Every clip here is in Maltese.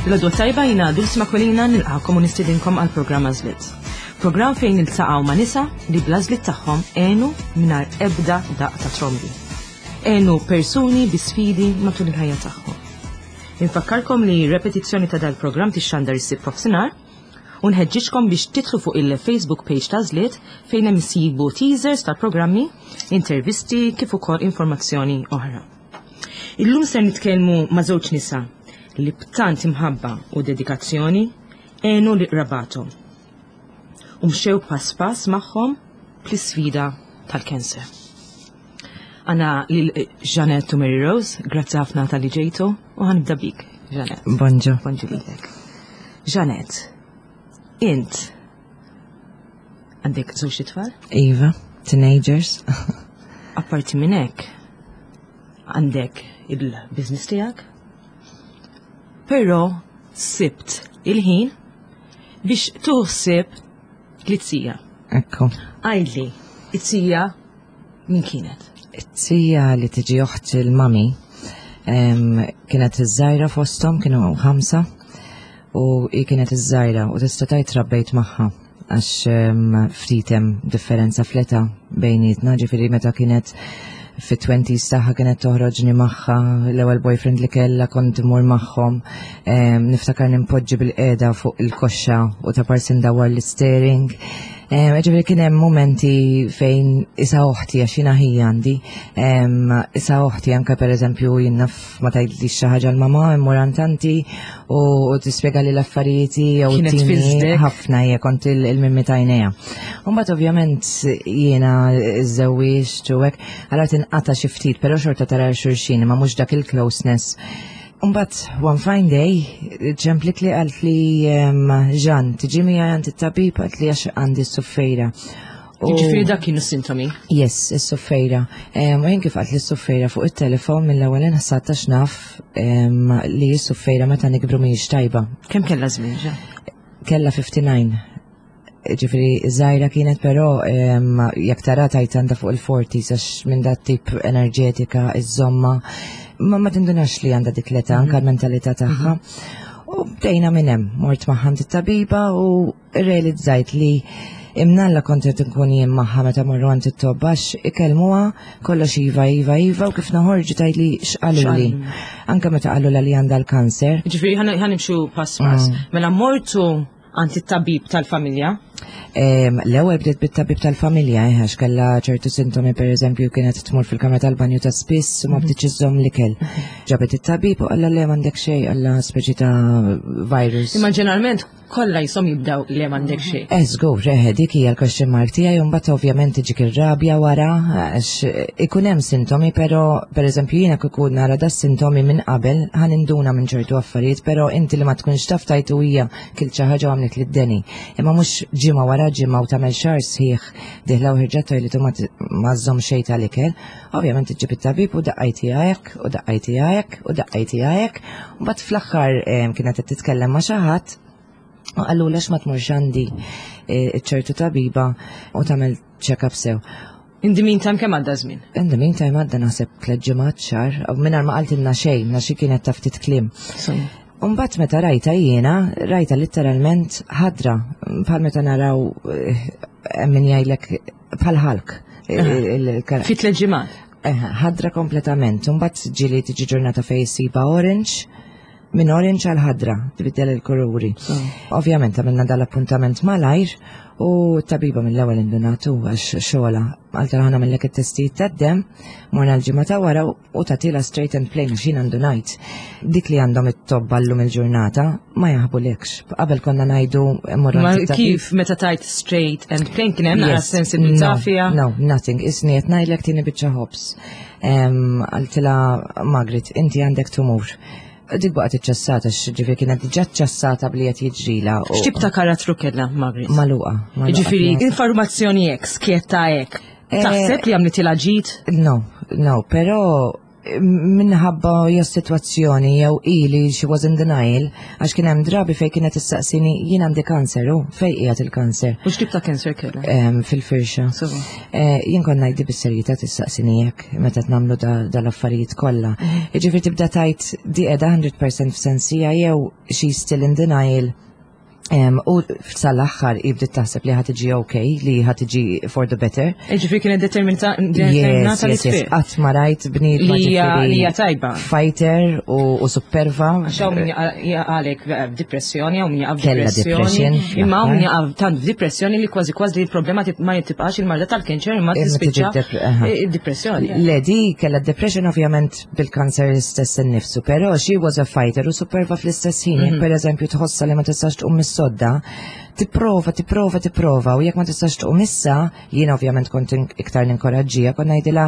L-għodwa tajba jina Dulce Makolina nilqakom u nistidinkom għal programm Għażliet. Programm fejn niltaqgħu ma' nisa li bl-għażliet tagħhom għenu mingħajr ebda daq ta' trombi. Għenu persuni bi sfidi matul il-ħajja tagħhom. Infakkarkom li repetizzjoni ta' dal-programm tixxandar is-sibt f'nofsinhar u nħeġġiġkom biex titlu fuq il-Facebook page ta' Għażliet fejn hemm issibu teasers tal-programmi, intervisti kif ukoll informazzjoni oħra. Illum ser nitkellmu ma' żewġ nisa li b'tant imħabba u dedikazzjoni għenu li qrabathom u mxew pass pass magħhom fl-isfida tal-kanser. Għana lil Jeanette u Mary Rose, grazzi ħafna tal-li ġejtu u ħanibda bik, Jeanette. Bonġu. Bonġu lilek. Jeanette, int għandek żewġ tfal? Iva, teenagers. Apparti minn hekk, għandek il-business tiegħek, però sibt il-ħin biex tuħsib li-tija. Ekku. Għidli, it-tija min kienet? It-tija li tiġi oħt il-mami kienet iż-żgħira fosthom, kienu ħamsa, u hi kienet iż-żgħira u tista' tgħid trabbejt magħha għax ftit hemm differenza fl-età bejnietna, ġifieri meta kienet fit-20s tagħha kienet toħroġni magħha, l-ewwel boyfriend li kellha kont imur magħhom, niftakar nimpoġġi bil-qiegħda fuq il-koxxa u ta' parsi ndawwar l-steering. Ġifieri kien hemm momenti fejn isa oħti għax jiena ħija għandi, isa oħti anke pereżempju jien naf ma tgħidlix xi ħaġa l-mamà immur għand tanti u tispjega li l-affarijiet jew Kienet tini tfiżdek? ħafna hija kont il-mimmi tajnejha. U mbagħad ovvjament jiena żewwiġt u hekk, allura tinqata' xi ftit, però xorta tara xulxin imma mhux dak il-closeness. Mbagħad one fine day ċemplit li qalt li Jean, tiġi miegħi għand it-tabib qalt li għax għandi s-suffejra. Jiġifieri dak kienu s-sintomi? Yes, is-suffejra. U jien kif qalt li s-suffejra fuq it-telefon mill-ewwel inħsad għax naf li s-suffejra meta nikbru mhijiex tajba. Kemm kellha żmien, Jean? Kellha 59. Ġifieri żgħira kienet, però jekk tara tajt għandha fuq il-40s għax minn dat tip enerġetika iżomma ma ma tindunax li għandha dik l-età anke l-mentalità tagħha. U bdejna minn hemm, mort magħha għand it-tabiba u realizzajt li imnalla kont qed inkun jien magħha meta morru għand it-tobba għax ikellmuha kollox iva, iva, iva u kif noħorġu tgħid li x'qaluli. Anke meta qalulha li għandha l-kanser. Ġifieri ħa nimxu pass pass. Mela mortu għand it-tabib tal-familja? L-ewwel bdiet bit-tabib tal-familja, għax kellha ċertu sintomi, per eżempju, kienet tmur fil-kamra tal-banju ta' spiss u ma bdietx iżżomm l-ikel. Ġabet it-tabib u qalla le m'għandek xejn, qalla speċi ta' virus. Imma ġeneralment kollha jisom jibdew le m'għandek xejn. Żgur, dik hija l-question mark tiegħi u mbagħad ovvjament tiġik ir-rabja wara għax ikun hemm sintomi, però per eżempju jiena kieku nara da sintomi minn qabel ħa ninduna minn ċertu affarijiet, però inti li ma tkunx taf tajtu hija kilt xi ħaġa u għamlet li d-deni. Imma mhux ġimgħa wara ġimgħa u tagħmel xahar sħiħ diħla u ħirġa toilet u ma żżomm xejn tal-ikel. Ovvjament iġġib it-tabib u daqqajti hekk u daqqajti hekk u daqqajti hekk. U mbagħad fl-aħħar kienet qed titkellem ma' xi ħadd u qallu għax ma tmurx għandi ċertu tabiba u tagħmel check-up sew. In the meantime, kemm għadda żmien? In the meantime għadda naħseb tliet ġimgħat xahar, u mingħajr ma qaltilna xejn, għax hi kienet taf ftit kliem. Umbagħad meta rajta jiena, rajta letteralment ħadra, bħal meta naraw min jgħidlek bħal ħalk. Fi tliet ġimgħat? Ħadra kompletament. Umbagħad ġieli tiġi ġurnata fejn issibha orange, minn orange għal ħadra, tbiddel il-kuluri. Ovvjament għamilna dal-appuntament malajr u t-tabiba mill-ewwel indunatu għax xogħla. Għalta ħana mill-lek it-testijiet tad-demm, morna l-ġimgħa ta' wara u tagħtila straight and plain għax jien għandu ngħid. Dik li għandhom it-tobba llum il-ġurnata ma jaħbulekx. Qabel konna ngħidu mmorru Ma għand it-tabib. kif meta tajt straight and plain kien hemm naqra Yes. sensibilità No, fiha? No, nothing. Isni qed ngħidlek tieni biċċa ħobż. Qaltilha Margaret, inti għandek tumur. Dik baqgħet iċċassata, ġifieri kienet diġà ċċassata bli qed jiġrila. X'tip ta' karattru kellha Margaret? Magħluqa, magħluqa Ġifieri kienet. informazzjoni hekk, skjetta hekk. Taħseb li għamlitilha ġid? No, no, però Minħabba jew sitwazzjoni jew ili she was in denial, għax kien hemm drabi fejn kienet issaqsini jien għandi kanser u fejn qiegħed il-kanser. U x'tip ta' kanser kellha? Fil-firxa. Eh, jien kont ngħidli bis-serjetà tissaqsini hekk meta nagħmlu dal-affarijiet kollha. Mhm. Jiġifieri tibda tajt di qiegħda 100% f'sensija jew she's still in denial U sal-aħħar bdiet taħseb li ħa tiġi ok, li ħa tiġi for the better. Ġifieri kienet determinata li tfiq. Qatt ma rajt bniedma li hija tajba. Fighter u superva. Għax hawn min jaqalek depressjoni, hawn min jaqa' depressjoni. Imma hawn min jaqa' tant f'depressjoni li kważi kważi il-problema ma tibqax il-marda tal-kanċer imma tispiċċa depressjoni. Le di kellha depression ovvjament bil-kanser stess innifsu, però she was a fighter u superva fl-istess ħin, jekk mhm. per eżempju tħossa li ma tistax tqum mis-sodda, tipprova, tipprova, tipprova, u jekk ma tistax tqum issa, jien ovvjament kont iktar ninkoraġġija, kont ngħidilha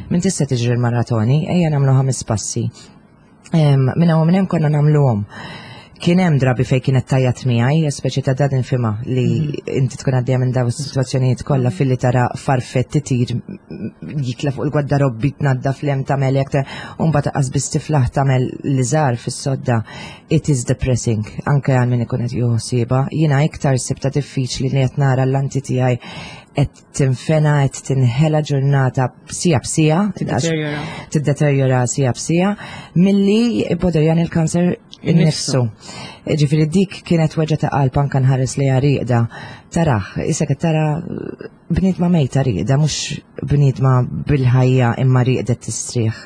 minn tista' tiġri l-maratoni, ejja nagħmlu ħames passi. Minn hawn minn hemm konna nagħmluhom. Kien hemm drabi fejn kienet tajjat miegħi, speċi ta' dad infima li mhm. inti tkun għaddejja minn dawn is-sitwazzjonijiet kollha filli tara farfett titir jitla fuq il-gwaddarobbi tnaddaf l hemm tagħmel hekk u mbagħad taqas biss tiflaħ tagħmel li żgħar fis-sodda. It is depressing, anke għal min ikun qed jieħu ħsiebha. Jiena iktar sibta diffiċli li qed nara l-anti tiegħi qed tinfena qed tinħela ġurnata sija b'sija, tiddeterjora sija b'sija, milli poderjan il-kanser innifsu. Ġifieri dik kienet weġa ta' qalb anke nħares li riqda. Taraħ, issa qed tara bniedma mejta riqda, mhux bniedma bil-ħajja imma riqdet tistrieħ.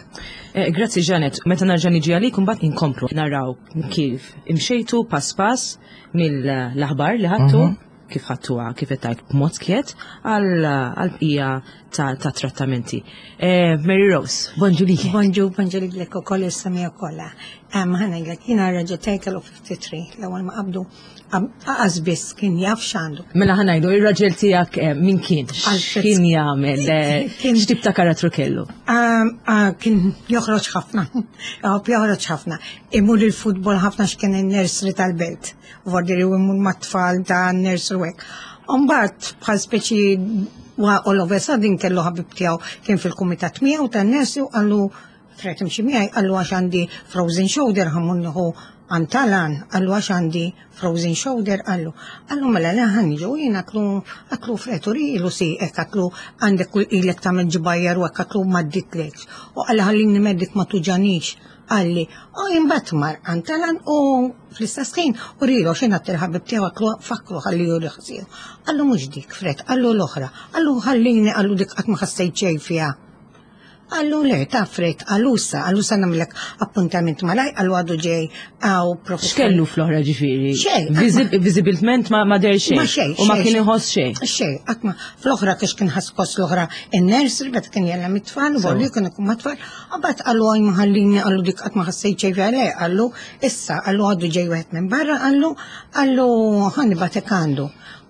Eh, grazzi Janet, meta narġa' niġi għalik imbagħad inkomplu naraw kif imxejtu pass pass mill-aħbar li ħadtu. Mhm. Kif ħadtuha, kif qed tgħid b'mod skjet għall-bqija ta' trattamenti. Eh, Mary Rose, bonġu li. Bonġu, bonġu li l ukoll is-semija kollha. Ħa ngħidlek jiena raġel tiegħi kellu 53 l-ewwel ma qabdu qas biss kien jaf x'għandu. Mela ħa ngħidu ir-raġel tiegħek eh, min kien? X'kien jagħmel? Eh, x'tip ta' karattru kellu? Ah, kien joħroġ ħafna. Joħroġ ħafna. Imur il-futbol ħafna x'kien in-nursery tal-belt. Vordi li imur mat-tfal ta' nursery u hekk. Umbagħad bħal speċi all of a sudden kellu ħabib tiegħu kien fil-kumitat miegħu tan-nursery u qallu Fred imxi miegħi qallu għax għandi frozen shoulder ħa mmur nieħu għand talan, qallu għax għandi frozen shoulder, qallu. Qallu mela le ħa niġu jien għatlu għatlu Fred urilu sieqek għatlu għandek kull ilek tagħmel ġbajjar u hekk għatlu m'għadditlekx. U qalli ħallini meddik ma tuġanix qalli. U imbagħad mar għand talan u fl-istess ħin urilu x'in għadt il-ħabib tiegħu għatlu fakru ħalli juri ħsieħu. Qallu mhux dik Fred, qallu l-oħra. Qallu ħallini qallu dik qatt ma ħassejt xejn fiha. Qallu le, taf Fred, qallu issa, qallu sa nagħmlek appuntament malaj, qallu għadu ġej għaw professur. X'kellu fl-oħra ġifieri? Xejn. Viżibilment ma der xejn. Ma xejn. U ma kien iħoss xejn. Xejn, qatt ma fl-oħra kiex kien ħaskos l-oħra in-nursery meta kien jellem it-tfal, u li kien ikun mat-tfal, qabad qallu għaj ma ħallini qallu dik qatt ma ħassejt xejn fiha le, qallu issa, qallu għadu ġej wieħed minn barra, qallu qallu ħa nibgħatek għandu.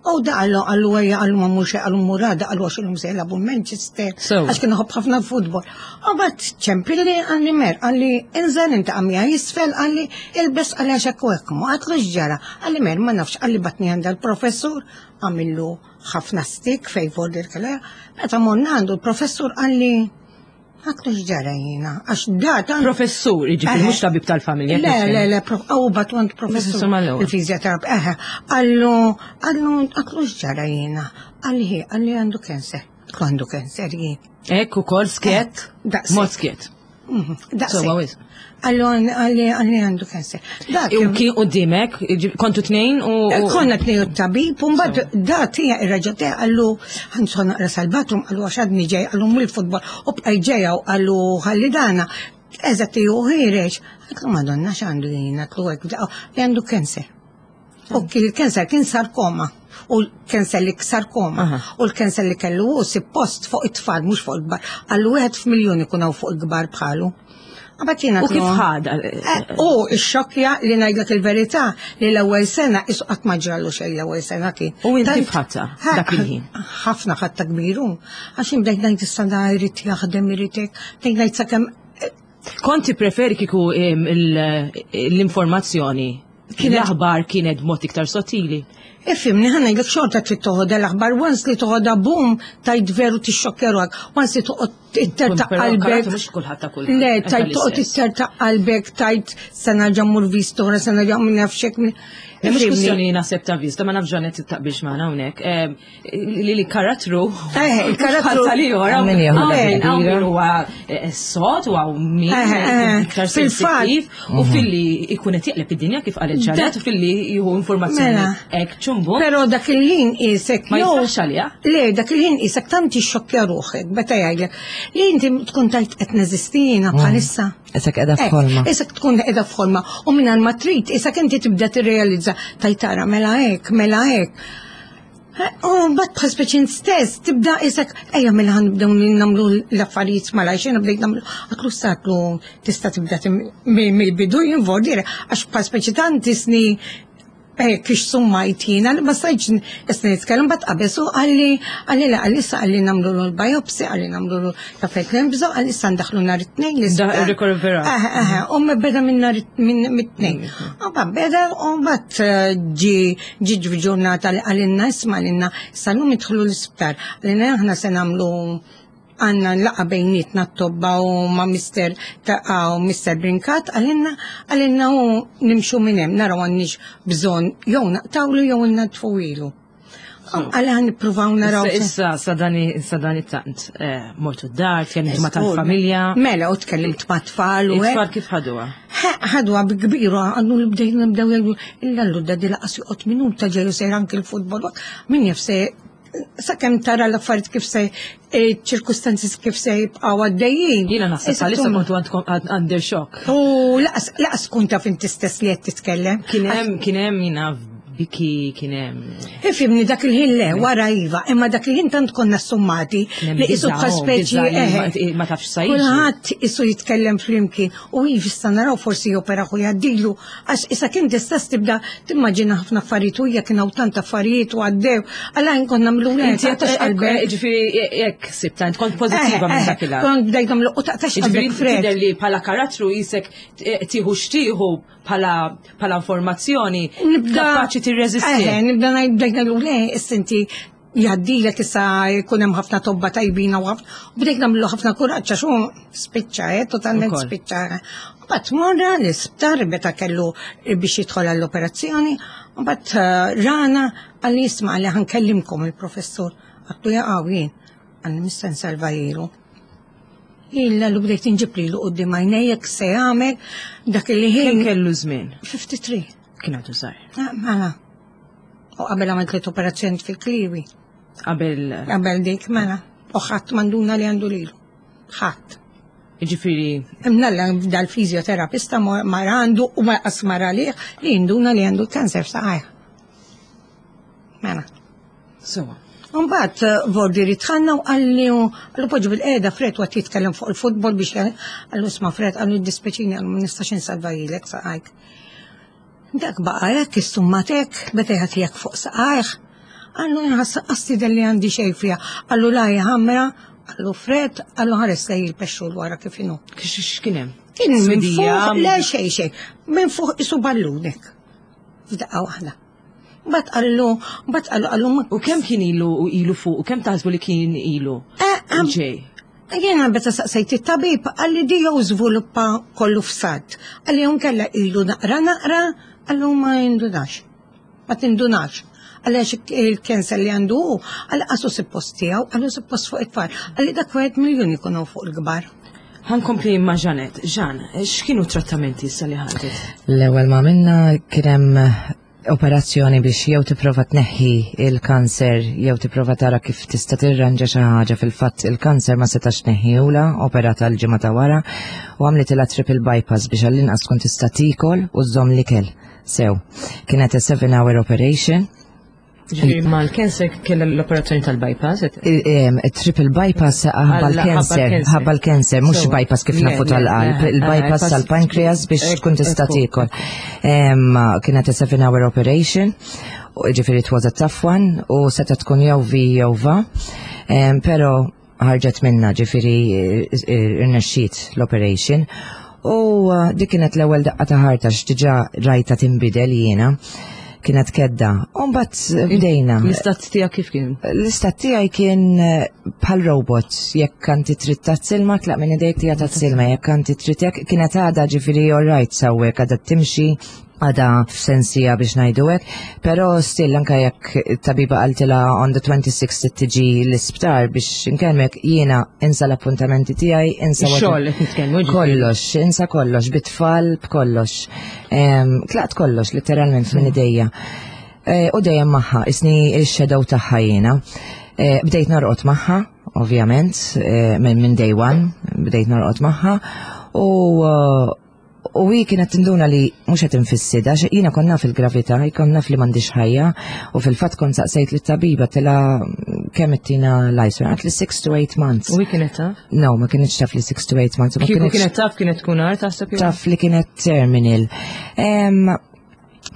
U da qallu qallu ejja qallu ma mhux qallu mmur għada qallu għax illum se jilagħbu Manchester għax kien iħobb ħafna l-futbol. U bat ċempilli qalli mer qalli inżel inta miegħi isfel qalli ilbes qalli għax hekk u hekk ma għatlu x'ġara qalli mer ma nafx qalli batni għandha l-professur għamillu ħafna stik fej vordir kellha meta morna għandu l-professur qalli Għatlu x'ġara jiena, għax data. Professur, jiġifieri mhux tabib tal-familja. Le, le, le, għaw bat għand professur. Il-fizjoterap, eħe, għallu, għallu, għatlu x'ġara jiena, għalli, għalli għandu kanser. Għandu kanser jien. Ekk ukoll skett? Mod skett. Mhm, daqshekk. Għallu għalli għalli għandu kanser. Dak U kien qudiemek, kontu tnejn u. Eh, konna tnejn u tabib, u mbagħad da tija ir-raġel tiegħi qallu ħanson naqra sal-bathroom qallu għax għadni ġej qallu mur il-futbol u bqaj ġejja u qallu ħalli dana. Eżatt ju ħireġ. Għatlu madonna x'għandu jien għatlu hekk li għandu kanser. U il-kanser kien sarkoma. U l-kanser li sarkoma. U l-kanser li kellu u post fuq it-tfal, mhux fuq il-kbar. Għallu wieħed f'miljun ikun hawn fuq il-kbar bħalu. U kif ħada? Eh, u x-xokja li ngħidlek il-verità li l-ewwel sena isu qatt ma ġrallu xejn l-ewwel sena kien. U inti kif ħadta dak il-ħin? Ħafna ħadta kbiru. Għax bdejt ngħid issa da jrid jaħdem irid hekk, bdejt ngħid sakemm eh, Konti preferi kiku l-informazzjoni Kien l-aħbar kienet b'mod iktar sottili. Ifimni, ħa ngħidlek xorta trid toħodha l-aħbar, once li toħodha boom, tajt veru tixxokkeru għak, once li toqgħod Ittertaq qalbek. Mhux kulħadd ta' kull. Le, tajt toqgħod ittertaq qalbek, tajt se nerġa' mmur viżta oħra, se nerġa' minn naf xek. Mhux kwistjoni naħseb ta' viżta, ma nafx ġanet taqbilx magħna hawnhekk. Li li karattru. Eh, il-karattru. Tal-ieħor hawn min huwa eh, sod u hawn min eh, eh, iktar sensittiv u mhm. filli ikun qed jaqleb id-dinja kif qalet ġanet u filli jieħu informazzjoni mela. hekk ċumbu. Però dak il-ħin isek ma jistax għaliha. Le, dak il-ħin isek tant tixxokkja ruħek meta jgħidlek li inti tkun tajt qed neżisti jiena mhm. bħalissa. Isek qiegħda f'ħolma. Isek tkun qiegħda f'ħolma u mingħajr ma trid isek inti tibda tirrealizza tajt tara mela hekk, mela hekk. U mbagħad bħal speċi stess tibda isek ejja mela ħanibdew nagħmlu l-affarijiet malajr xejn bdejt nagħmlu għatlu statlu tista' tibda mill-bidu jinvoldi għax bħal speċi tant isni eh, kif summajt jiena li ma stajtx isni nitkellem bat qabeż u qalli qalli le qalli issa qalli nagħmlu l-biopsy qalli nagħmlu ta' fejn hemm bżonn qalli issa ndaħlu nhar it-tnejn l-isptar. Rikovera. Eh, eh, u beda minn nhar minn mit-tnejn. U mbagħad beda u mbagħad eh, ġi ġi ġurnata li qalilna isma' qalilna issa llum idħlu l-isptar. Qalilna aħna se nagħmlu għanna laqa bejnietna t-tobba u ma' Mr. ta' u Mr. Brinkat għalinna għalinna u nimxu minn hemm naraw għandniex bżonn jew naqtawlu jew nadfu ilu. Għala nippruvaw naraw. Issa, sa dan it-tant, eh, mortu d-dar, tkellimt ma tal-familja. Mela, u tkellimt ma tfal u. Tfal kif ħaduha? Ħaduha bi kbiru, għandu li bdejna nibdew jgħidu, illa l di laqas joqgħod minuta ġeju sejr anki l-futbol. Min jaf se sakemm tara l-affarijiet kif se eh, ċirkustanzi kif se jibqgħu għaddejjin. Jiena naħseb bħalissa kontu għandkom under shock. U laqas kun taf inti stess li qed titkellem. Kien hemm kien hemm jiena biki kien hemm. Ifimni dak il-ħin le, wara iva, imma dak il-ħin tant konna summati li isu bħal speċi eh, ma tafx sa Kulħadd isu jitkellem flimkien u iva issa naraw forsi jopera hu jgħaddilu Għax issa kien tista' tibda timmaġina ħafna affarijiet u jekk hawn tant affarijiet u għaddew, għala nkun nagħmlu Inti qalbek. Ġifieri jekk sibta int kont pożittiva minn dak il Kont bdejt nagħmlu u taqtax qalbek Fred. Tidher li bħala karattru jisek tieħu xtieħu bħala informazzjoni kapaċi tirreżisti. Nibda ngħid bdejt ngħidu le, istinti jgħaddilek issa jkun hemm ħafna tobba tajbina u ħafna u bdejt nagħmlu ħafna kuraġġ għax hu spiċċa, eh, totalment spiċċa. Mbagħad morra l-isptar meta kellu biex jidħol għall-operazzjoni, mbagħad eh, rana għalli jisma' li ħankellimkom il-professur. Għattu jaqaw jien, għalli mista nsalva jilu. Illa l bdejt inġib lilu qudiem għajnejjek se jagħmel dak li ħin. Kellu żmien? 53. Kien għadu żgħir. Ah, mela. U qabel għamilt li operazzjoni fil-kliwi. Qabel. Qabel dik, mela. U ħadd manduna li għandu lilu. Ħadd. Ġifieri. Imnalla dal-fizjoterapista mar għandu u ma qas mar għalih li jinduna li għandu kanser f'saqajh. Mela. Sewa. Mbagħad eh, Vordi ritħanna u qalli għallu poġġu bil-qiegħda Fred waqt jitkellem fuq il-futbol biex għallu isma' Fred għallu dispeċini għallu ma nistax insalva jilek saqajk. Dak baqa' hekk, issummat hekk, beda jagħti hekk fuq saqajh. Qallu inħass qas tidher li għandi xejn fiha. Qallu la hi ħamra, qallu Fred, qallu ħares lej il-pexxul wara kif inhu. X'kien hemm? Kien minn fuq, le xejn xejn, minn fuq isu ballun hekk. F'daqqa waħda. Bat qallu, bat qallu qallu. U kemm kien ilu ilu fuq, u kemm taħsbu li kien ilu? Eh, Ġej. Jiena meta saqsejt it-tabib qalli di jew żviluppa kollu f'salt. Qalli jew inkella ilu naqra naqra, qallu ma jindunax. Ma tindunax. Qalli għax il-cancer li għandu hu, qalli qasu suppost tiegħu, qallu suppost fuq it-tfal. Qalli dak wieħed miljun ikun hawn fuq il-kbar. Ħankompli ma' Janet. Ġan, x'kienu trattamenti issa li ħadet? L-ewwel ma minna kien hemm operazzjoni biex jew tipprova tneħħi il-kanser jew tipprova tara kif tista' tirranġa xi ħaġa fil-fatt il-kanser ma setax tneħħihula, operata l-ġimgħa ta' wara u għamlitilha triple bypass biex għall-inqas tkun tista' tiekol u żżomm l-ikel sew. Kienet a 7 hour operation. Ġifieri mal-cancer kellha l-operazzjoni tal-bypass? Triple bypass ħabba l-cancer, ħabba l-cancer, mhux bypass kif nafu tal-qalb, il-bypass tal-pancreas biex tkun tista' tiekol. Kienet a 7 hour operation, ġifieri it was a tough one, u seta tkun jew vi jew va, pero ħarġet minna ġifieri irnexxiet l-operation. U dik kienet l-ewwel daqqa ta' ħarta x'diġà rajta tinbidel jiena. Kienet kedda. U mbagħad bdejna. L-istat tiegħek kif kien? L-istat tiegħi kien eh, bħal robot, jekk anti trid tazz-ilma, tlaq minn idejk tija tazz-ilma, jekk anti trid jekk kienet għadha ġifieri all right sawwek għadha timxi għada f'sensija biex ngħidu hekk, però still anke jekk tabiba qaltilha on the 26th tiġi l-isptar biex inkellmek jiena insa l-appuntamenti tiegħi, insa Xogħol qed nitkellmu. Kollox, insa kollox, bit-tfal b'kollox. Tlaqt kollox letteralment minn idejja. E, u dejjem magħha, isni x-shadow tagħha jiena. E, bdejt norqod magħha, ovvjament, e, minn day one, bdejt norqod magħha u U hi kienet tinduna li mhux qed infissidha, għax jiena kont naf il-gravità, kont naf li m'għandix ħajja, u fil-fatt kont saqsejt lit-tabiba tilha kemm ittina life, għat li 6 to 8 months. U hi kienet taf? No, ma kienx taf li 6 to 8 months. Ma Kieku kienet taf kienet tkun għar taħseb? Taf li kienet terminal.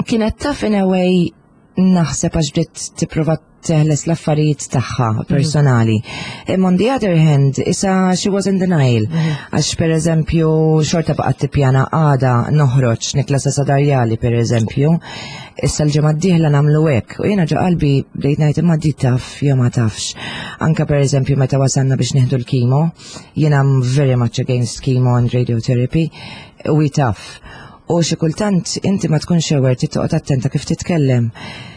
Kienet taf in a way naħseb għax bdiet tipprova teħles l-affarijiet tagħha mhm. personali. Imma on the other hand, issa she was in denial. Mhm. Għax per eżempju, xorta baqgħet tippjana għada noħroġ nikla sa sadarjali per eżempju. Issa l-ġimgħa d-dieħla nagħmlu hekk. U jiena ġo qalbi bdejt ngħid imma di taf jew ma tafx. Anka per eżempju meta wasalna biex nieħdu l-kimo, jiena I'm very much against chemo and radiotherapy, u taf. U xi kultant inti ma tkunx aware trid toqgħod attenta kif titkellem.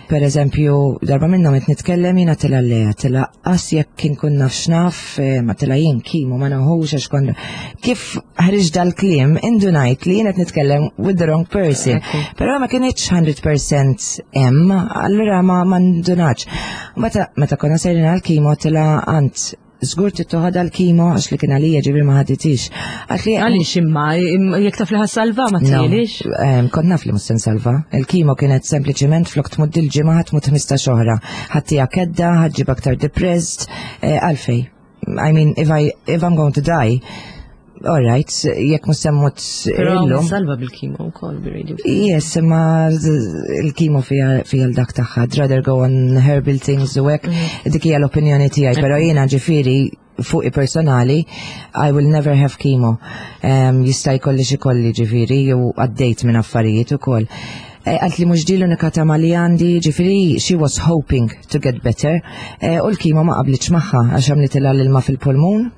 Per eżempju, darba minnhom qed nitkellem jiena tilha leja, tilha qas jekk inkun naf x'naf, eh, ma tilha jien kimu ma naħux għax kont. Kif ħriġ dal-kliem indunajt li jien qed nitkellem with the wrong person. Però ma kienx 100% hemm, allura ma ma ndunax. Meta meta konna sejrin għal-kimo tilha għand Żgur trid toħodha l-kimo għax li kien għalija ġifieri ma ħaditix. Għatli għaliex imma jekk taf li ħassalva ma tgħilix. Kont naf li mhux se nsalva. Il-kimo kienet sempliċiment flok tmut il-ġimgħa ħadd tmut 15 oħra. Ħaddija kedda, ħaġġib aktar depressed, eh, għalfej. I mean, if I if I'm going to die, all right, jekk mhux se mmut illum. Salva bil-kimo wkoll bir-radio. Yes, imma il-kimo fija l-dak tagħha, I'd rather go on herbal things u hekk, mhm. dik hija l-opinjoni tiegħi, però jiena ġifieri fuqi personali, I will never have chemo. Um, jista' jkolli xi kolli ġifieri jew għaddejt minn affarijiet ukoll. Eh, għalt li mhux di l-unika tama li għandi, ġifieri she was hoping to get better, eh, u l-kimo ma qablitx magħha għax għamlitilha l-ilma fil-pulmun.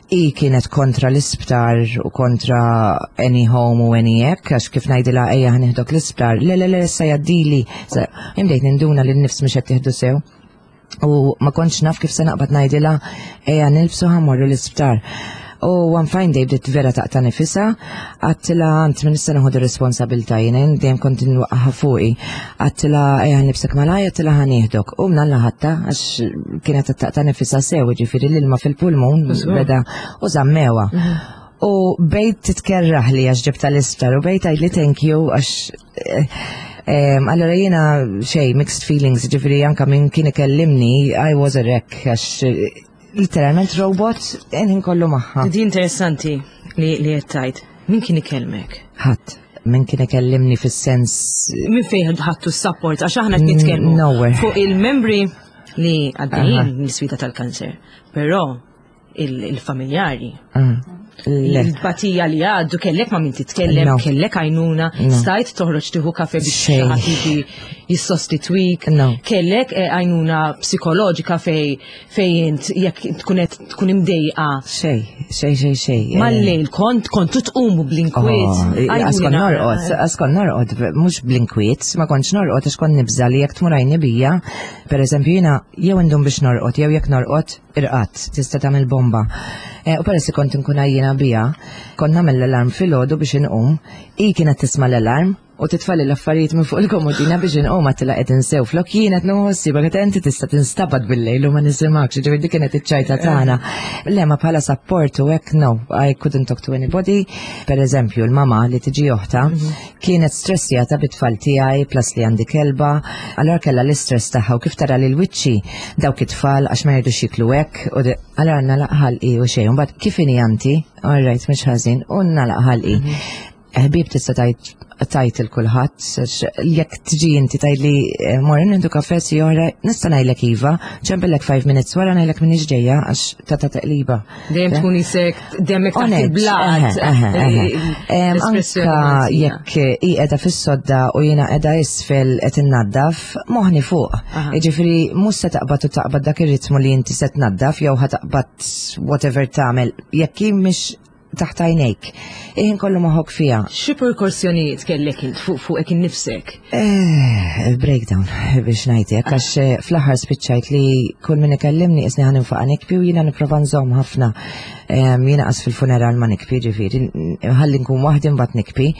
Hi kienet kontra l-isptar u kontra any home u any hekk, għax kif ngħidilha ejja ħa nieħdok l-isptar, le le le issa jgħaddili. Imdejt ninduna li n-nifs mhux qed tieħdu sew. U ma kontx naf kif se naqbad ngħidilha ejja nilbsu ħa mmorru l-isptar. U one fine day bdiet vera taqta' nifisha, għedtilha għand minn issa nieħu responsabilità jiena dejjem kont inwaqqaha fuqi. Għedtilha ejja nilbsek malajr, għedtilha ħa nieħdok. U mnalla ħadtha għax kienet qed taqta' nifisha sew, ġifieri l-ilma fil-pulmun beda u żammewha. Mhm. U bejt titkerraħ li għax ġibta l-isptar u bejt għidli thank you għax eh, allora jiena xej, mixed feelings, ġifieri anka minn kien ikellimni, I was a wreck għax eh, literalment robot in kollu magħha. Di interessanti li li qed tgħid. Min kien ikellmek? Ħadd. Min kien ikellimni fis-sens. Min fejn ħadtu s-support għax aħna qed nitkellmu Nowhere. fuq il-membri li għaddejjin mill-sfida tal-kanser. Però il-familjari. Ah. Il-batija li għaddu kellek ma' min titkellem, kellek għajnuna, stajt toħroġ tieħu kafe biex xi ħadd jiġi jissostitwik, kellek eh, għajnuna psikoloġika fej fej int jekk tkun qed tkun imdejqa. Xej, xej, xej, xej. Eh. Mal-lejl kont kontu tqumu bl-inkwiet. Oh, għaskon norqod, għaskon norqod, mhux bl-inkwiet, ma kontx norqod għax kont nibża li jekk tmur għajni bija, pereżempju jiena jew indum biex norqod, jew jekk norqod irqadt, tista' tagħmel bomba. Eh, u peress li kont inkun għajjiena bija, kont nagħmel l-alarm filgħodu biex inqum, hi kienet tisma' l-alarm u titfali l-affarijiet minn fuq il-komodina biex inqum għattila qed insew flok jien qed nħossi baqgħet inti tista' tinstabat bil-lejl u ma nisimgħekx, ġifieri dik kienet iċ-ċajta tagħna. Le ma bħala support u hekk no, I couldn't talk to anybody. Per eżempju, l-mama li tiġi oħta mhm. Kienet stressjata bit-tfal tiegħi plus li għandi kelba, allora kellha l-istress tagħha u kif tara lil wiċċi dawk it-tfal għax ma jridux jiklu hekk u allora nagħlaq ħalqi u xejn. Mbagħad kif inhi anti, all right mhux ħażin, u nagħlaq ħalqi. Mhm. Ħbieb tista' tgħid tajt il kulħadd, jekk tiġi inti tgħidli eh, morri nieħdu kafè si oħra, nista' ngħidlek iva, ċempillek 5 minutes wara ngħidlek minix ġejja għax ta' ta' taqliba. Dejjem tkun isek demmek taħt il-blat. Anka jekk hi qiegħda fis-sodda u jiena qiegħda isfel qed innaddaf, moħni fuq. Jiġifieri mhux se taqbad u taqbad dak ir-ritmu li inti se tnaddaf jew ħa taqbad whatever tagħmel jekk hi mhix taħt għajnejk. Iħin kollu moħok fija. Xi perkursjonijiet kellek int fuq fuqek innifsek? Eh, breakdown biex ngħidlek għax eh, fl-aħħar spiċċajt li kull min ikellimni isni ħan infaqa nikbi u jiena nipprova nżomm ħafna. Jiena qas fil-funeral ma nikbi ġifieri, ħalli nkun waħdi mbagħad nikbi.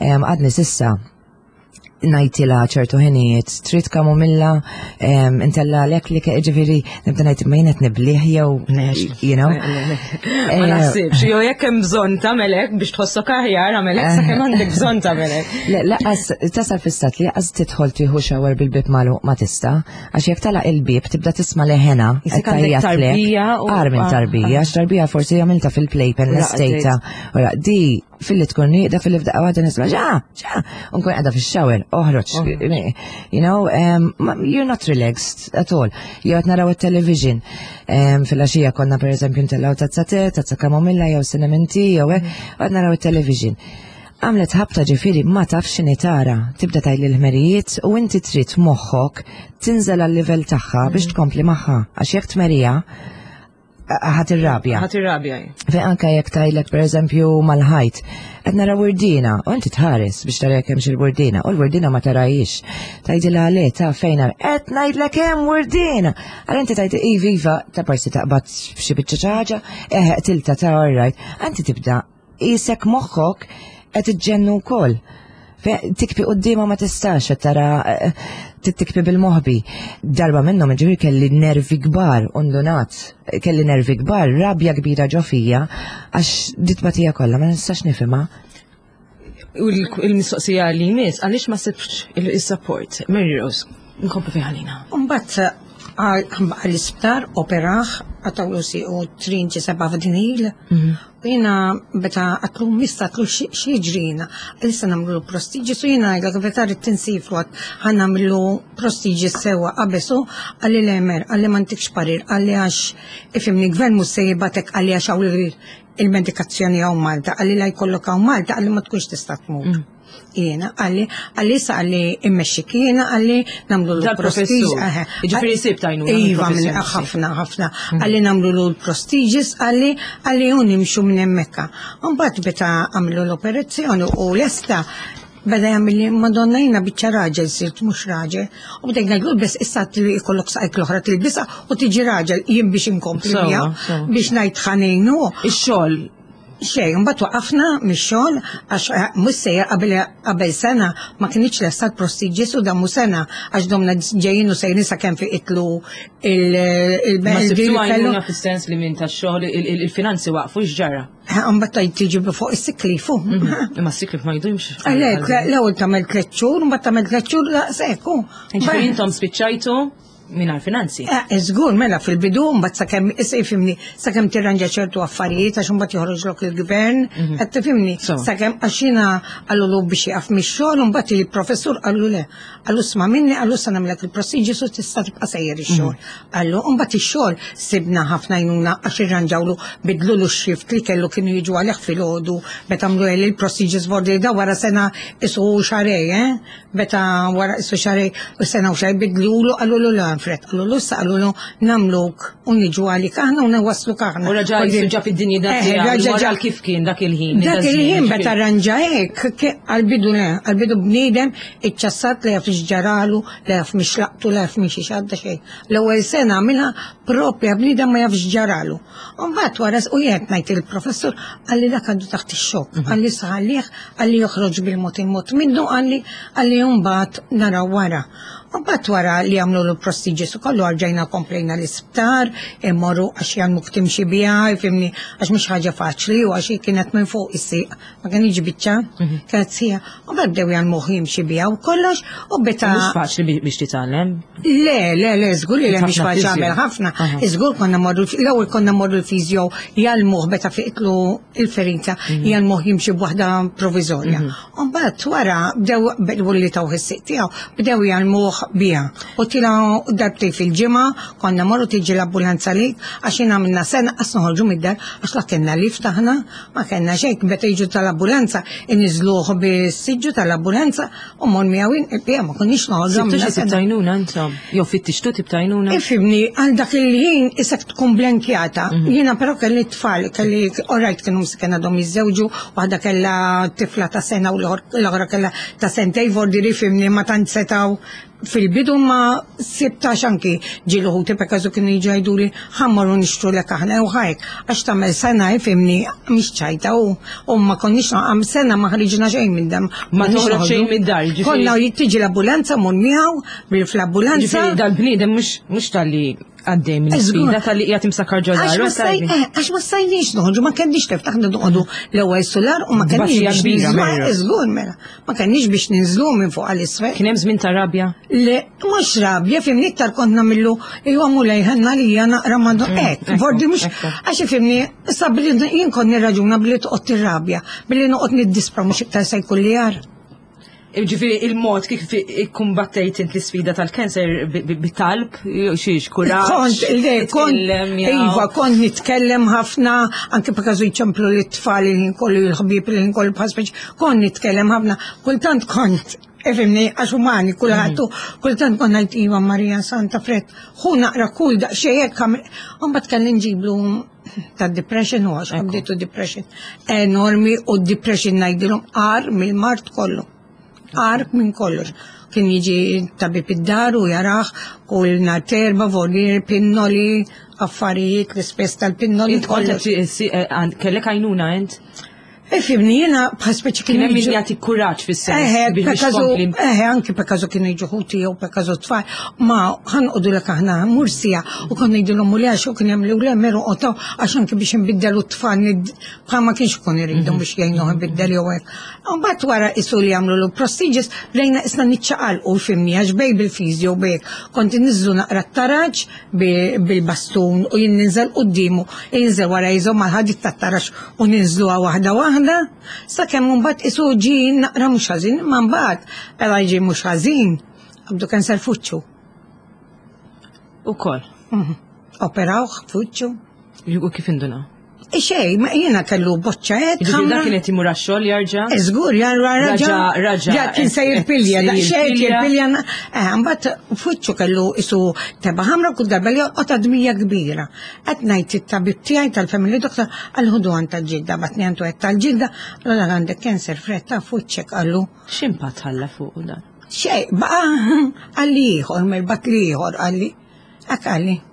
Għadni sissa najtila ċertu ħinijiet, trid kamomilla, intella għalek li ġifiri, nibda najt ma jenet nibliħ jew, you know. Ma eh, naħsibx, jew jekk hemm bżonn tagħmelek biex tħossok aħjar għamelek sakemm għandek bżonn tagħmelek. Le, laqas tasal fis-sat li laqas tidħol tieħu shower bil-bib magħluq ma tista' għax jekk tala il-bib tibda tisma' leħena. Tarbija. Ar minn tarbija, għax tarbija forsi għamilta fil-playpen l-estejta. Di filli tkun nieqda filli f'daqqa waħda nisma' ġa, ġa, u nkun qiegħda fix-shower, oħroġ, you know, um, you're not relaxed at all. Jew qed naraw it-television. Um, Fil-għaxija konna pereżempju ntellgħu tazza te, tazza kamomilla jew cinnamon tea jew hekk, u qed naraw it-television. Għamlet ħabta ġifieri ma tafx x'inhi tara, tibda tgħid l-ħmerijiet u inti trid moħħok tinżel għal-livell tagħha biex tkompli magħha għax jekk tmerija ħat irrabja. Ħat irrabja. Fejn anka jekk tajlek pereżempju mal-ħajt, qed nara wurdina u inti tħares biex tara jekk hemmx il-wurdina u l-wurdina ma tarajix. Tgħidilha le ta' fejn qed ngħidlek hemm wurdina. Għal inti tgħid iva iva ta' parsi taqbad f'xi biċċa ħaġa, eħe tilta ta' alright. Inti tibda Qisek moħħok qed iġġennu wkoll. Tikbi quddiemha ma tistax qed tara eh, tikbi bil-moħbi. Darba minnhom ġifieri kelli nervi kbar undunat, kelli nervi kbar, rabja kbira ġo fija għax ditbatija kollha ma nistax nifhimha. U l-mistoqsija li jmiss, għaliex ma sibx il-support? Mary Rose, nkomplu fi ħalina. Mbagħad għall-isptar operaħ għatawlu si u trinċi seba' f'dinil. Mhm. U jiena meta għatlu mista għatlu xieġrina, għalissa namlu prestiġi su jiena għajlek meta rrid tinsifru għat ħan namlu prestiġi sewa qabesu għalli l-emer, għalli ma ntikx parir, għalli għax ifimni gvern mhux se jibatek għalli għax hawn il-medikazzjoni hawn Malta, għalli la jkollok hawn Malta għalli ma tkunx tista' tmur. Mm. Jiena, għalli, għalli sa għalli immexxik jiena, għalli namlu l-prestiġ. Ġifiri sib tajnu. Iva, ħafna, ħafna. Mhm. Għalli namlu l-prestiġis, għalli, għalli un nimxu minn hemmhekk. Mbagħad meta għamlu l-operazzjoni u lesta beda jagħmel madonna jiena biċċa raġel sirt mhux raġel. U bdejt ngħidlu bes issa li jkollok saqajk l-oħra tilbisha u tiġi raġel jien biex inkompli biex ngħid ħanejnu. Ix-xogħol Xejn, mbagħad waqafna mix-xogħol għax eh, mhux sejjer qabel qabel sena ma kinitx lesta l-prestiġis u damu sena għax domna ġejjin u sejrin sakemm fi itlu il-belt. Ma sibtu għajnuna fis-sens li minn tax-xogħol il-finanzi waqfu x'ġara. Eh, mbagħad tajt tiġi fuq is-siklifu. Mhm. Imma s-siklif ma jdumx. Għalhekk l-ewwel tagħmel tliet xhur, mbagħad tagħmel tliet xhur daqshekk. Ġifieri intom spiċċajtu mingħajr finanzi. Eh, żgur, mela fil-bidu mbagħad sakemm issa jifhimni sakemm tirranġa ċertu affarijiet għax imbagħad joħroġlok il-gvern, mhm. qed tifhimni sakemm għax jiena qalulu biex jaqaf mix-xogħol u mbagħad il-professur qallu le. Qallu sma' minni qallu sa nagħmlek il-procedures u tista' tibqa' sejjer ix-xogħol. Mhm. Qallu mbagħad ix-xogħol sibna ħafna għajnuna għax irranġawlu bidlulu x-shift li kellu kienu jiġu għalih filgħodu meta għamlu il-procedures vordi da wara sena isu xarej, eh? Meta wara isu xarej u sena u xej bidlulu qalulu l Alfred, qalulu issa qalulu namluk u niġu għalik aħna u nwasluk aħna. U raġa jisu ġab id-dinja dak eh, raġa ġab kif kien dak il-ħin. Dak il-ħin meta ranġa hekk għal-bidu le, għal-bidu bniedem iċċassat li jaf ġaralu, li jaf mixlaqtu, li jaf mixi xadda xejn. L-ewwel sena għamilha propja bniedem ma jafx ġaralu. U mbagħad wara u jien ngħid il-professur qalli dak għandu taħt ix-xokk, mhm. qalli saħalih, qalli joħroġ bil-mod il-mod minnu, qalli qalli mbagħad naraw wara. U mbagħad wara li għamlu l-procedures u kollu għarġajna komplejna l-isptar, immorru għax jgħallmuk timxi biha, ifhimni, għax mhux ħaġa faċli u għax hi kienet minn fuq is-sieq, ma kienx biċċa, kienet sija. U mbagħad bdew jgħallmuh jimxi biha u kollox u beta. Mhux faċli biex titgħallem. Le, le, le, żgur li mhix faċli għamel ħafna. Żgur konna morru l-ewwel konna morru l-fiżjo jgħallmuh beta fiqtlu il-ferita, jgħallmuh jimxi b'waħda provizorja. U mbagħad wara bdew bdew li tawh is-sieq tiegħu, bdew jgħallmuh biha. U tilgħu darbtejn fil-ġimgħa, konna morru tiġi l-ambulanza lik, għax jien għamilna sena qas noħorġu mid-dar għax la kellna lift aħna, ma kellna xejn, meta jiġu tal-ambulanza iniżluh bis-siġġu tal-ambulanza u mor miegħu jien il-bqija ma konniex noħorġu. Sibtu xi tip t'għajnuna intom? Jew fittixtu tip t'għajnuna? Ifhimni, għal dak il-ħin isek tkun blenkjata. Jiena però kelli tfal, kelli orajt kienu msiken għadhom jiżżewġu, waħda kellha tifla ta' sena u l-oħra kellha ta' sentej vordiri fimni ma tant setgħu fil-bidu ma sibtax anki ġieli ħuti per każu kienu jiġu jgħiduli ħa mmorru nixtrulek aħna jew ħajk għax tagħmel sena ifhimni mhix ċajta u u ma konniex għam sena ma ħriġna xejn minn dam. Ma toħroġ xejn mid-dar, ġifieri. Konna tiġi l-ambulanza mur miegħu bil fl-ambulanza. Ġifieri dal-bniedem mhux talli għaddej minn sfida tal-li qiegħed imsakkar ġo dar. Għax ma stajniex noħorġu, ma kenniex tiftaħ noqogħdu l-ewwel sular u ma kenniex biex ninżlu. Żgur mela, ma kenniex biex ninżlu minn fuq għal isfel. Kien hemm żmien ta' rabja? Le, mhux rabja, fimni iktar kont nagħmillu iwa mulej ħenna li hija naqra ma mm, hekk. Vordi mhux għax ifimni sa billi jien kont nirraġuna billi toqgħod tirrabja, billi noqgħod niddispra mhux iktar se jkun li jar. Ġifieri il-mod kif ikkumbattejt int l-isfida tal-kanser bit-talb, xiex kuraġġ. Kont, le, kont, iva, kont nitkellem ħafna, anke b'każu jċemplu lit-tfal il-ħin kollu, il-ħbieb il-ħin kollu bħal speċi, kont nitkellem ħafna, kultant kont, ifhimni, għax umani kulħadd, mhm. kultant kont ngħid iva Marija Santa Fred, ħu naqra kull daqsxejn hekk, mbagħad kelli nġiblu ta' depression u għax għabditu depression enormi u depression ngħidilhom għar mill-mart kollu. Għar minn kollox. Kien jiġi tabib id-dar u jaraħ u l-nar terba, volir, pinnoli, affarijiet, l-ispess tal-pinnoli. Eh, kellek għajnuna int? Ifimni, jena bħal speċi kien hemm min jagħti kuraġġ fis-sens. Eħe, eħe, anki per każu kienu jiġu ħuti jew per każu tfal, ma ħanqodu lek aħna mursija u konna ngħidilhom u għax u kien hemm li u meru qotaw għax anki biex nbiddelu t-tfal bħal ma kienx ikun iridhom mhm. biex jgħinuh ibiddel jew hekk. Mbagħad wara isu li jagħmlu l prestigious bdejna isna niċċaqalqu fimni għax bej bil-fiżjo bej kont inniżżlu naqra t-taraġ bil-bastun u jien ninżel quddiemu, jinżel wara jżomm mal-ħadid tat-taraġ u ninżluha waħda waħda, sakemm imbagħad isu ġie naqra mhux ħażin, imma mbagħad mela ġie mhux ħażin, qabdu kanser fuċċu. Ukoll. Mhm. Operawh fuċċu. U kif indunaw? Xej, ma jiena kellu boċċa hekk. Ġifieri dak kien qed imur għax-xogħol jarġa'? Żgur, jarġa' raġa. Raġa. Ja kien se jirpilja, daqsxejn jirpilja. Eh, mbagħad fuċċu kellu isu teba' ħamra kull darba li joqgħod dmija kbira. Qed ngħid it-tabib tiegħi tal-family doctor għal ħudu għand tal-ġilda, batni għandu qed tal-ġilda, allura għandek cancer fretta fuċċek qallu. X'impatt ħalla fuq dan? Xej, baqa' qalli ieħor, merbat li ieħor qalli. Hekk qalli.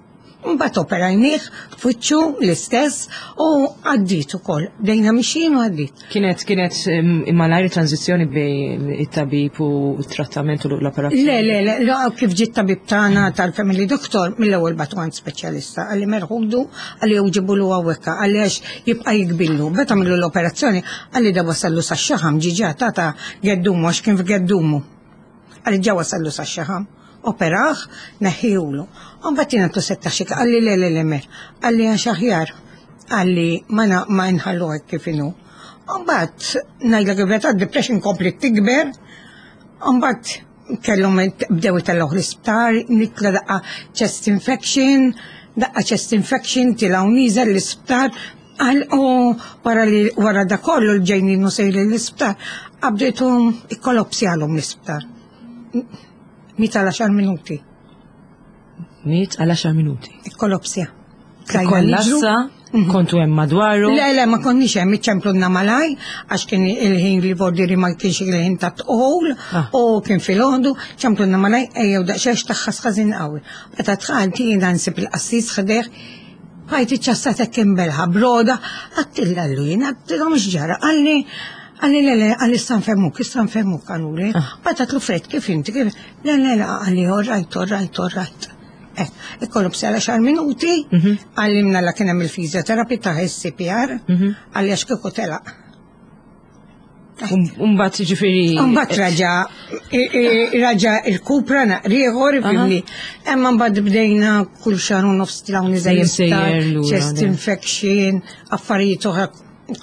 Mbagħad operajnieh f'wiċċu l-istess u għaddiet ukoll. Bdejna mixjin u għaddiet. Kienet kienet malajr tranzizzjoni bejn it-tabib u t-trattament u l-operazzjoni? Le, le, le, le, kif ġiet tabib tagħna tal-family doctor mill-ewwel bagħtu għand speċjalista qalli merħudu qalli jew ġibulu hawnhekk qalli għax jibqa' jikbillu. Meta għamlu l-operazzjoni qalli da wasallu sax-xaħam ġiġa tata geddumu għax kien f'geddumu. Qalli ġa wasallu sax-xaħam. Operah, neħħihulu. U mbagħad jien għedtlu setta xi qalli le le le mer. Qalli għax aħjar. Qalli ma ma nħallu hekk kif inhu. U mbagħad ngħidlek il-verità depression kompliet tikber. U mbagħad kellhom bdew itellgħuh l-isptar, nitla daqqa chest infection, daqqa chest infection tilgħu nieżel l-isptar, Għal u wara li wara da kollu l-ġejnin u sejrin l-isptar, qabditu ikkolopsjalhom l-isptar. Miet għal 10 minuti. Miet għal 10 minuti. Ikkolopsja. Kollassa, mhm. kontu hemm madwaru? Le, le, ma konniex hemm, iċċemplunna malaj, għax kien il-ħin li vordiri ma kienx il-ħin ta' tqol, ah. u kien fil-ħodu, ċemplunna malaj, ejjew daqsxejn taħħas ħażin qawwi. Meta tħalt jiena nsib il-qassis ħdejh, bqajt iċċassat hekk imbelħa broda, għattilha llu jien, għattilhom x'ġara, qalli, Qalli le le, qalli issa nfehmuk, issa nfehmuk qaluli. Mbagħad għedtlu Fred kif inti kif le le le qalli all right, all right, all right. Eh, ikollu bsela xar minuti, qalli mnalla kien hemm il-fizjoterapi ta' CPR, qalli għax kieku telaq. Umbat ġifiri. Umbat raġa, raġa il-kupra naqriħor, fimni. Emma mbagħad bdejna kull xahar u nofs tilaw niżel chest infection, affarijiet oħra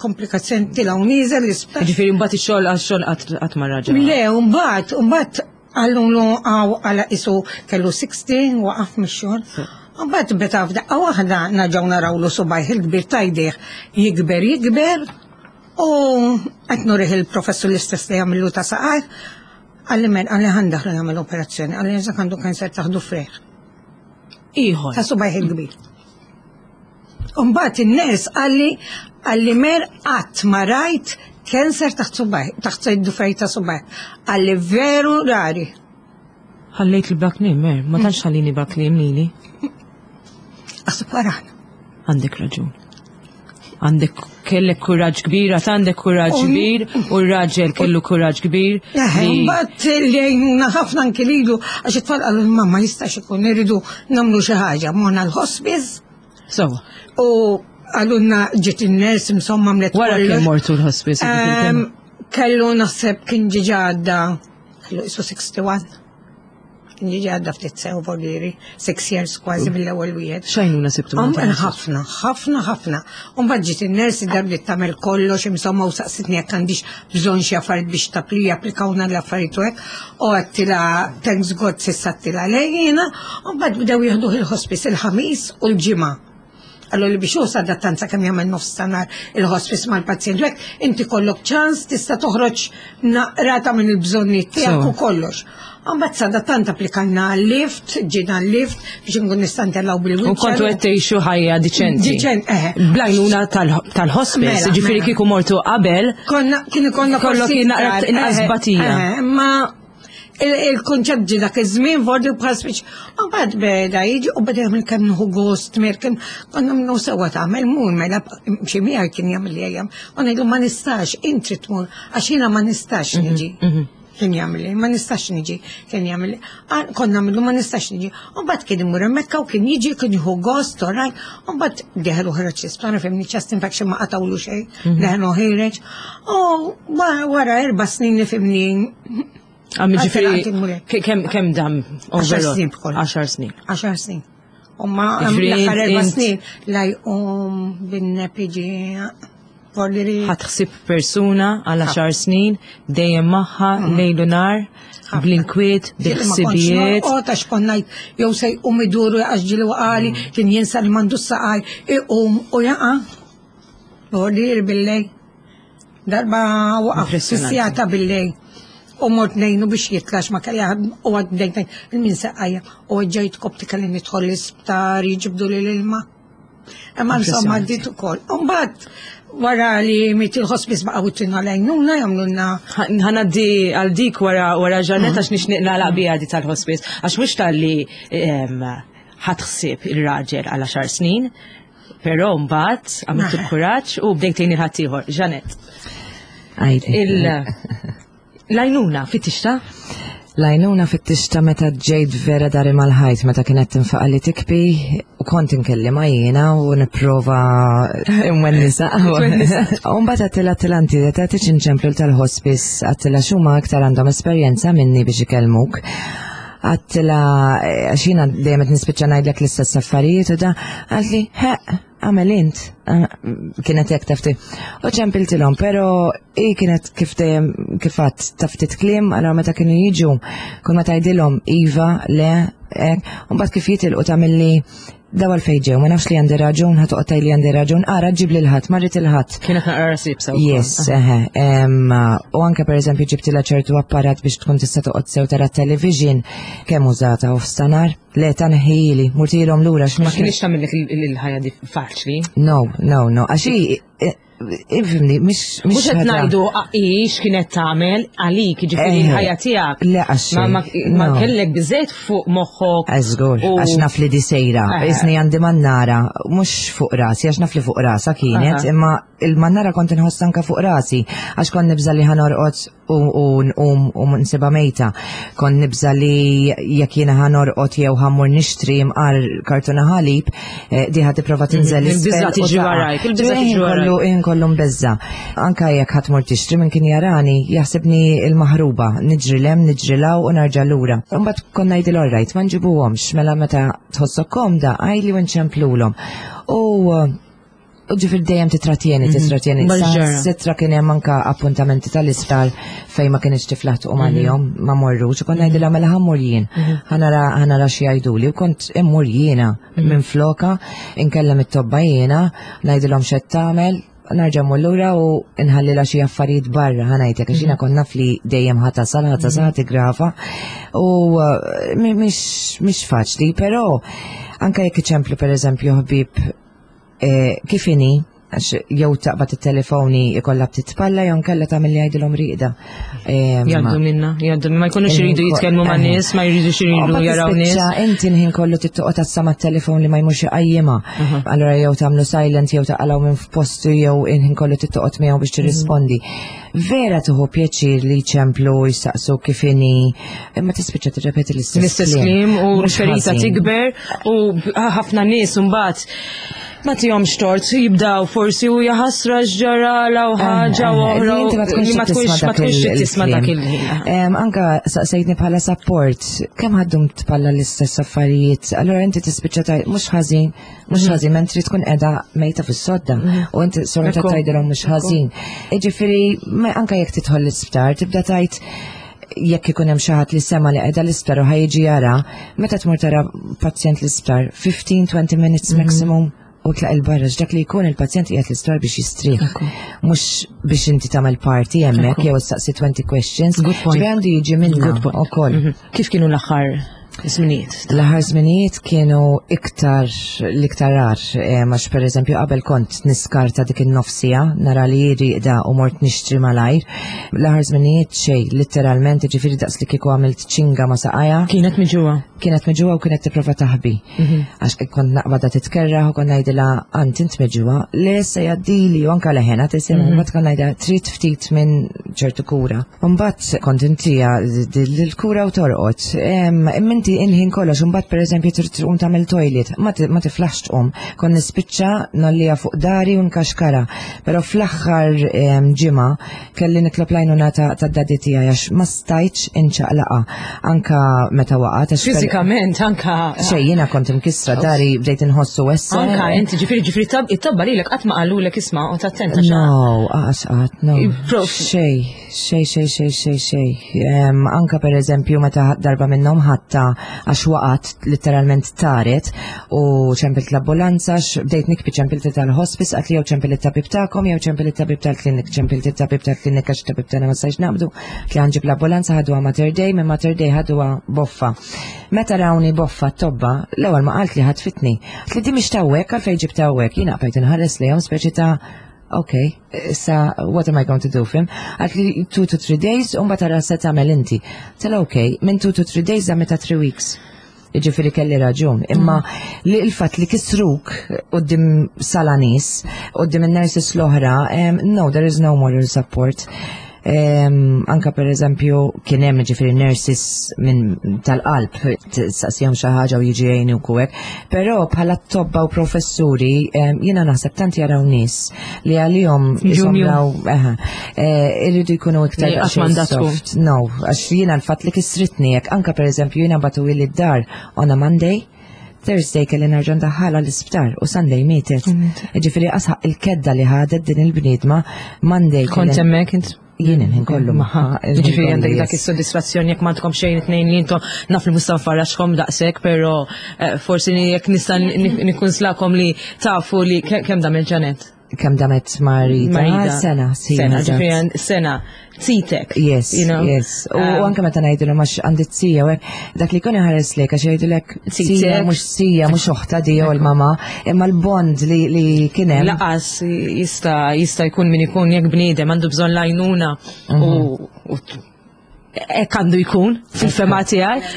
komplikazzjoni tilaw niżel l-isptar. Ġifiri mbagħad ix-xogħol għax-xogħol qatt ma raġa. Le, mbagħad, mbagħad għallulu għaw għala isu kellu 60 waqaf mix-xogħol. Mbagħad beta f'daqqa waħda naġgħu narawlu subajh il-kbir tajdih jikber jikber U qed nurih il-professur l-istess li jagħmillu ta' saqaj, qalli men qalli ħa ndaħlu jagħmel operazzjoni, qalli eżak għandu kanser taħdu freħ. Ieħor. Ta' subajh il-kbir. Umbagħad in-ners qalli qalli mer qatt ma rajt kanser taħt subajh, taħt id-dufej ta' subajh. Qalli veru rari. Ħallejt li bla kliem, mer, ma tantx ħallini bla kliem lili. Aħseb wara. Għandek raġun. Għandek kellek kuraġġ kbir, għat għandek kuraġġ kbir, u r-raġel kellu kuraġġ kbir. Mbagħad li għajnuna ħafna anki lilu għax it-tfal qalu mamma jistax ikun irridu nagħmlu xi ħaġa, morna l-hospice. So. U għalunna ġiet in-ners insomma mlet. Wara kien mortu l-hospice. Kellu naħseb kien ġiġa għadda kellu isu 61. Ġiġi għadda ftit sew voliri, six years kważi mill-ewwel wieħed. Xajnuna sibtu? Ħafna, ħafna, ħafna. Umbagħad ġiet in-nurse id-dar li tagħmel kollox insomma u saqsitni jekk għandix bżonn xi affarijiet biex tapli applikawna l-affarijiet u hekk. U għedtilha thanks God s'issa għedtilha lejjina, u mbagħad bdew jieħduh il-hospice il-ħamis u l-ġimgħa. Għallu li biex hu sadattant sakemm jagħmel nofs ta' nhar il-hospice mal-pazjent hekk, inti kollok ċans tista' toħroġ naqrata minn il-bżonnijiet tiegħek u kollox. Mbagħad sadattant applikajna għal-lift, ġiena l-lift biex nkun nista' ntellgħu bil-wheelchair. U kontu qed tgħixu ħajja diċenti. Diċent, eh. Blajnuna tal-hospice, mela, ġifieri mela. kieku mortu qabel. Konna kien ikollna kollok kien naqra inqas eh, batija. Eh, ma il-konċett ġi dak iż-żmien vordi bħal speċ. U bad beda jiġi u beda jagħmel kemm nieħu gost mir kemm konna minnu sewwa tagħmel mur mela xi miegħi kien jagħmel li jagħmel. U ngħidlu ma nistax inti tmur għax jiena ma nistax mhm, niġi. Mhm. Kien jagħmel ma nistax niġi, kien jagħmel konna nagħmlu ma nistax niġi. U mbagħad kien imur hemmhekk u kien jiġi kien jieħu gost oraj, u mbagħad deħel u ħareġ l-isptar fimni chest infection ma qatawlu xejn, mhm. deħel u ħireġ. U wara erba' snin nifimni. Għammi ġifiri, kem dam? Għaxar snin bkoll. Għaxar snin. Għaxar snin. U ma l-aħħar erba' snin la jqum bin-nepiġi Ħatħsib persuna għal għaxar snin dejjem magħha mm. lejlu nar bl-inkwiet, bil-ħsibijiet. U ta' xkonna jew se jqum iduru għax ġilu għali mm. kien jinsa li mandu saqaj iqum u jaqa' Bordir billej. Darba waqaf fis-sija ta' billejl u mort ngħinu biex jitlax ma kelli u għad bdejt il-min seqqajja u ġejt kopti kelli nidħol l-isptar jiġibdu li l-ilma. Imma insomma għaddit ukoll. Umbagħad wara li miet il-hospice baqgħu tina lejnuna jagħmlulna. Ħanaddi għal dik wara wara ġarnet għax nixtieq nagħlaq biha di tal-hospice għax mhux talli ħadd ħsieb il-raġel għal għaxar snin, Però mbagħad għamilt il-kuraġġ u bdejt tgħin il-ħaddieħor. Ġanet. L-għajnuna fit-tixta? L-għajnuna fit-tixta meta ġejt vera dari mal-ħajt meta kienet tinfaqa li tikbi u kont inkellima jiena u nipprova nwennisa. U mbagħad għattila tilanti ta' tiċ inċemplu tal-hospice għattila xuma aktar għandhom esperjenza minni biex ikellmuk. Għattila, eh, għax jiena dejjem qed nispiċċa ngħidlek l-istess affarijiet u da, għalli, he, għamel int, eh, kienet hekk tafti. U ċempiltilhom, però hi kienet kif dejjem kif għadd taftit kliem, allora meta kienu jiġu, kull ma tgħidilhom iva, le, hekk, u mbagħad kif jitilqu tagħmilli Daw għalfejn ġew, ma nafx li għandi raġun, ħa toqgħod tgħid li għandi raġun, ara ġib lil ħadd, ma rrid il-ħadd. Kienet naqra rasib sew. Yes, eħe. U anke pereżempju ġibtilha ċertu apparat biex tkun tista' toqgħod sew tara television kemm użata u f'stanar. Le ta' neħħili, murtilhom lura x'ma. Ma kienx tagħmillek il-ħajja faċli. No, no, no, għax Ifhimni, mhix Mhux qed ngħidu ix kienet tagħmel għalik, jiġifieri eh, l-ħajja tiegħek. Le għax ma kellek biżejt fuq moħħok. Żgur, għax naf li di sejra. Eh. Isni għandi mannara, mhux fuq rasi, għax naf li fuq rasa kienet, imma il-mannara kont inħoss anka fuq rasi, għax kont nibża li ħanorqod u nqum u nsiba mejta. Kont nibża li jekk jiena ħa norqod jew ħammur nixtri mqar kartuna ħalib, eh, di ħa tipprova mhm. tinżel Il-biża tiġi warajk, il-biża tiġi warajk. Inkollu mbeżza. Anka jekk ħadd mur tixtri minn kien jarani, jaħsibni il-maħruba, niġri lem, niġri law u narġa' lura. Imbagħad konna ngħidil orrajt, ma nġibuhomx, mela meta tħossok komda, għajli u nċemplulhom. U U ġifir dejjem titratjeni, mhm. titratjeni. Sitra kien hemm anka appuntamenti tal-isptar fejn ma kienx tiflaħ tqum mhm. għalihom, ma morrux, u kont ngħidilha mela ħammur jien. Mhm. Ħanara xi jgħiduli u kont immur jiena minn floka, inkellem it-tobba jiena, ngħidilhom x'qed tagħmel, narġa' mmur lura u nħallilha xi affarijiet barra ħanajtek għax jiena kont naf li dejjem ħatasal, ħatasal tigrafa u eh, mhix faċli, però anka jekk iċemplu pereżempju ħbieb Eh, kif inhi, għax jew taqbad it-telefoni ikollha titpalla jew nkella tagħmel li jgħidilhom riqda. Jgħaddu minna, jgħaddu ma jkunux iridu jitkellmu ma' nies, ma jridux iridu jaraw nies. Inti l-ħin kollu tittoqgħod tassa mat-telefon li ma jmurx iqajjimha. Allura jew tagħmlu silent jew taqalgħu minn f'postu jew il-ħin kollu tittoqgħod miegħu biex tirrispondi. Vera tuħu pjaċir li ċemplu jistaqsu kif inhi, imma tispiċċa tirrepeti l-istess. L-istess kliem u l-ferita tikber u ħafna nies imbagħad ma tihomx tort jibdaw forsi u jaħasra x'ġara u ħaġa u oħra. Ma tkunx ma tkunx tisma' dak il-ħin. Anka saqsejtni bħala support, kemm ħaddum tpalla l-istess affarijiet, allura inti tispiċċa tajt mhux ħażin, mhux mhm. ħażin mentri tkun qiegħda mejta fis-sodda mhm. u inti sorta tgħidilhom mhux ħażin. Jiġifieri anka jekk tidħol l-isptar tibda tgħid jekk ikun hemm xi ħadd li sema li qiegħda l-isptar u ħajġi jara, meta tmur tara pazjent l-isptar 15-20 minutes mhm. maximum u tlaq il-barra dak li jkun il-pazjent qiegħed l-isptar biex jistrieħ. Mhux biex inti tagħmel party hemmhekk jew staqsi 20 questions. Good point. Għandu jiġi minna ukoll. Mhm. Kif kienu l-aħħar żminijiet? L-aħħar żminijiet kienu iktar l-iktar għar, eh, għax per eżempju qabel kont niskarta dik in-nofsija, nara li riqda u mort nixtri malajr. L-aħħar żminijiet xejn, litteralment, ġifieri daqs li kieku għamilt ċinga ma saqajja. Kienet miġuwa. Kienet miġuwa u kienet tipprova taħbi. Mhm. Għax kont naqbada titkerraħ u kont ngħidilha għand int miġuwa, le se jgħaddili u anka leħena tisimgħu, mhm. mbagħad kont ngħidha trid ftit minn ċertu kura. Mbagħad kont intija l-kura u torqod. Imma inti il-ħin kollox, mbagħad pereżempju trid tqum tagħmel toilet, ma tiflaħx tqum. Kont nispiċċa nollija fuq dari u nkaxkara. Però fl-aħħar ġimgħa kelli nitlob l-għajnuna ta' daddy tiegħi għax ma stajtx inċaqlaqa. Anka meta waqgħet. Fiżikament anka. Xejn jiena kont imkissra dari bdejt inħossu essa. Anka inti ġifieri ġifieri it-tobba lilek qatt ma qalulek isma' u tattenta. No, għax qatt, no. Xej. Xej, xej, xej, xej, xej. Anka per eżempju meta darba minnhom ħatta għax waqgħet literalment taret u ċempilt l-ambulanza bdejt nikbi ċempilt tal-hospice għat li jew ċempilt it-tabib tagħkom jew ċempilt it-tabib tal-klinik, ċempilt it-tabib tal-klinik għax tabib tagħna ma stajx naqbdu, li ħanġib l-ambulanza ħaduha Mater Dei, minn Mater Dei ħaduha boffa. Meta rawni boffa t-tobba, l-ewwel ma qalt li ħatfitni. Li di mhix tawwek għalfejn ġibta hawnhekk, jiena bqajt inħares lejhom speċi ta' ok, issa what am I going to do fim? Għalt li 2 to 3 days un tara se tagħmel inti. Tela ok, minn 2 to 3 days għamita 3 weeks. Ġifieri kelli raġun. Imma mm. li il-fatt li kisruk qudiem sala nies, qudiem in-nurses l-oħra, no, there is no moral support. Anka per eżempju kien hemm ġifieri nurses minn tal-qalb saqsihom xi ħaġa u jiġi jgħinu hekk. Però bħala tobba u professuri jiena naħseb tant jaraw nies li għalihom jisomraw eh, irridu jkunu iktar soft. No, għax jiena l-fatt li kisritni jekk anka per eżempju jiena batu li d-dar on a Monday Thursday kelli nerġa' ndaħħalha l-isptar u Sunday mietet. Ġifieri qasħaq il-kedda li ħadet din il-bniedma Monday. Kont hemmhekk int? Jien il-ħin kollu magħha. Ġifieri għandek dak is-sodisfazzjon jekk m'għandkom xejn it-tnejn li intom naf li mhux nfarraxkom daqshekk, però eh, forsi jekk nista' nikkunslakom li tafu li kemm dam il-ġanet. Kemm damet marida? Sena, sena, ġifieri sena. Zitek. Yes, you know? yes. U um, anke meta ngħidilhom għax għandi t-sija, dak li jkun iħares lek għax jgħidulek sija mhux sija mhux oħta di jew il-mama, imma l-bond li li kien hemm. Laqas jista' jista' jkun min ikun jekk bniedem għandu bżonn lajnuna u mhm. Hekk għandu jkun fil-fema tiegħi.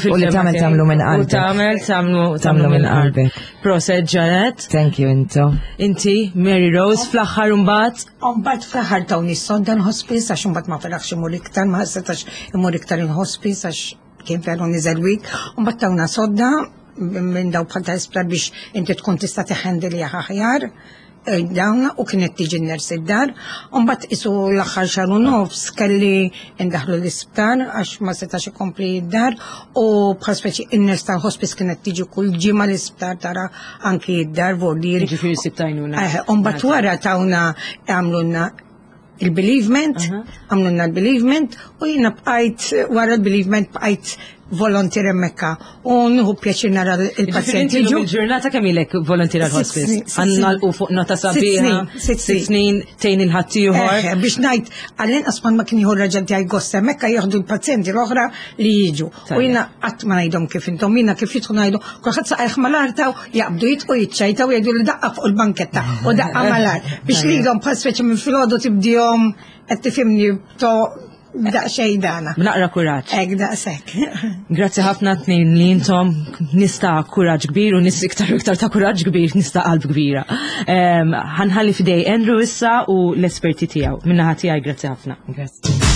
U li tagħmel tagħmlu minn qalbek. U tagħmel tagħmlu tagħmlu minn qalbek. Proset Janet. Thank you intu. Inti Mary Rose fl-aħħar imbagħad. Imbagħad fl-aħħar tawni s-sonda l-hospice għax imbagħad ma felaħx imur iktar, ma setax imur iktar il-hospice għax kien veru niżel wik. Imbagħad tawna sodda minn daw bħal ta' isptar biex inti tkun tista' teħendili aħjar. Dawn u kienet tiġi n-ners id-dar, u mbagħad isu l-aħħar xahar u nofs kelli ndaħlu l-isptar għax ma setax ikompli id-dar u bħal speċi in-ners tal-hospice kienet tiġi kull ġimgħa l-isptar tara anki id-dar voldieri. Ġifieri sib tajnuna. Eh, u mbagħad wara tawna għamlulna il-bereavement, għamlulna l-bereavement u jiena bqajt wara l-bereavement bqajt volontier hemmhekk u nieħu pjaċir nara il-pazjenti. Il-ġurnata kemm ilek volontier għal-hospice? Għannalqu fuq nota sabiħa, sitt snin tgħin il-ħaddieħor. Biex ngħid għall-inqas ma kien jieħu raġel tiegħi gost hemmhekk jieħdu l-pazjenti l-oħra li jiġu. U jiena qatt ma ngħidhom kif intom, jiena kif jidħlu ngħidu, kulħadd saqajh mal-art jaqbdu jitqu jiċċajtaw jgħidu li daqqa fuq il-banketta u daqqa mal-art. Biex lilhom bħal speċi minn filgħodu tibdihom qed tifhimni to daqsxejn dana. Naqra kuraġġ. Hekk daqshekk. Grazzi ħafna tnejn li intom nista' kuraġġ kbir u nis iktar iktar ta' kuraġġ kbir nista' qalb kbira. Ħanħalli f'idej Andrew issa u l-esperti tiegħu. Minnaħa tiegħi grazzi ħafna. Grazzi.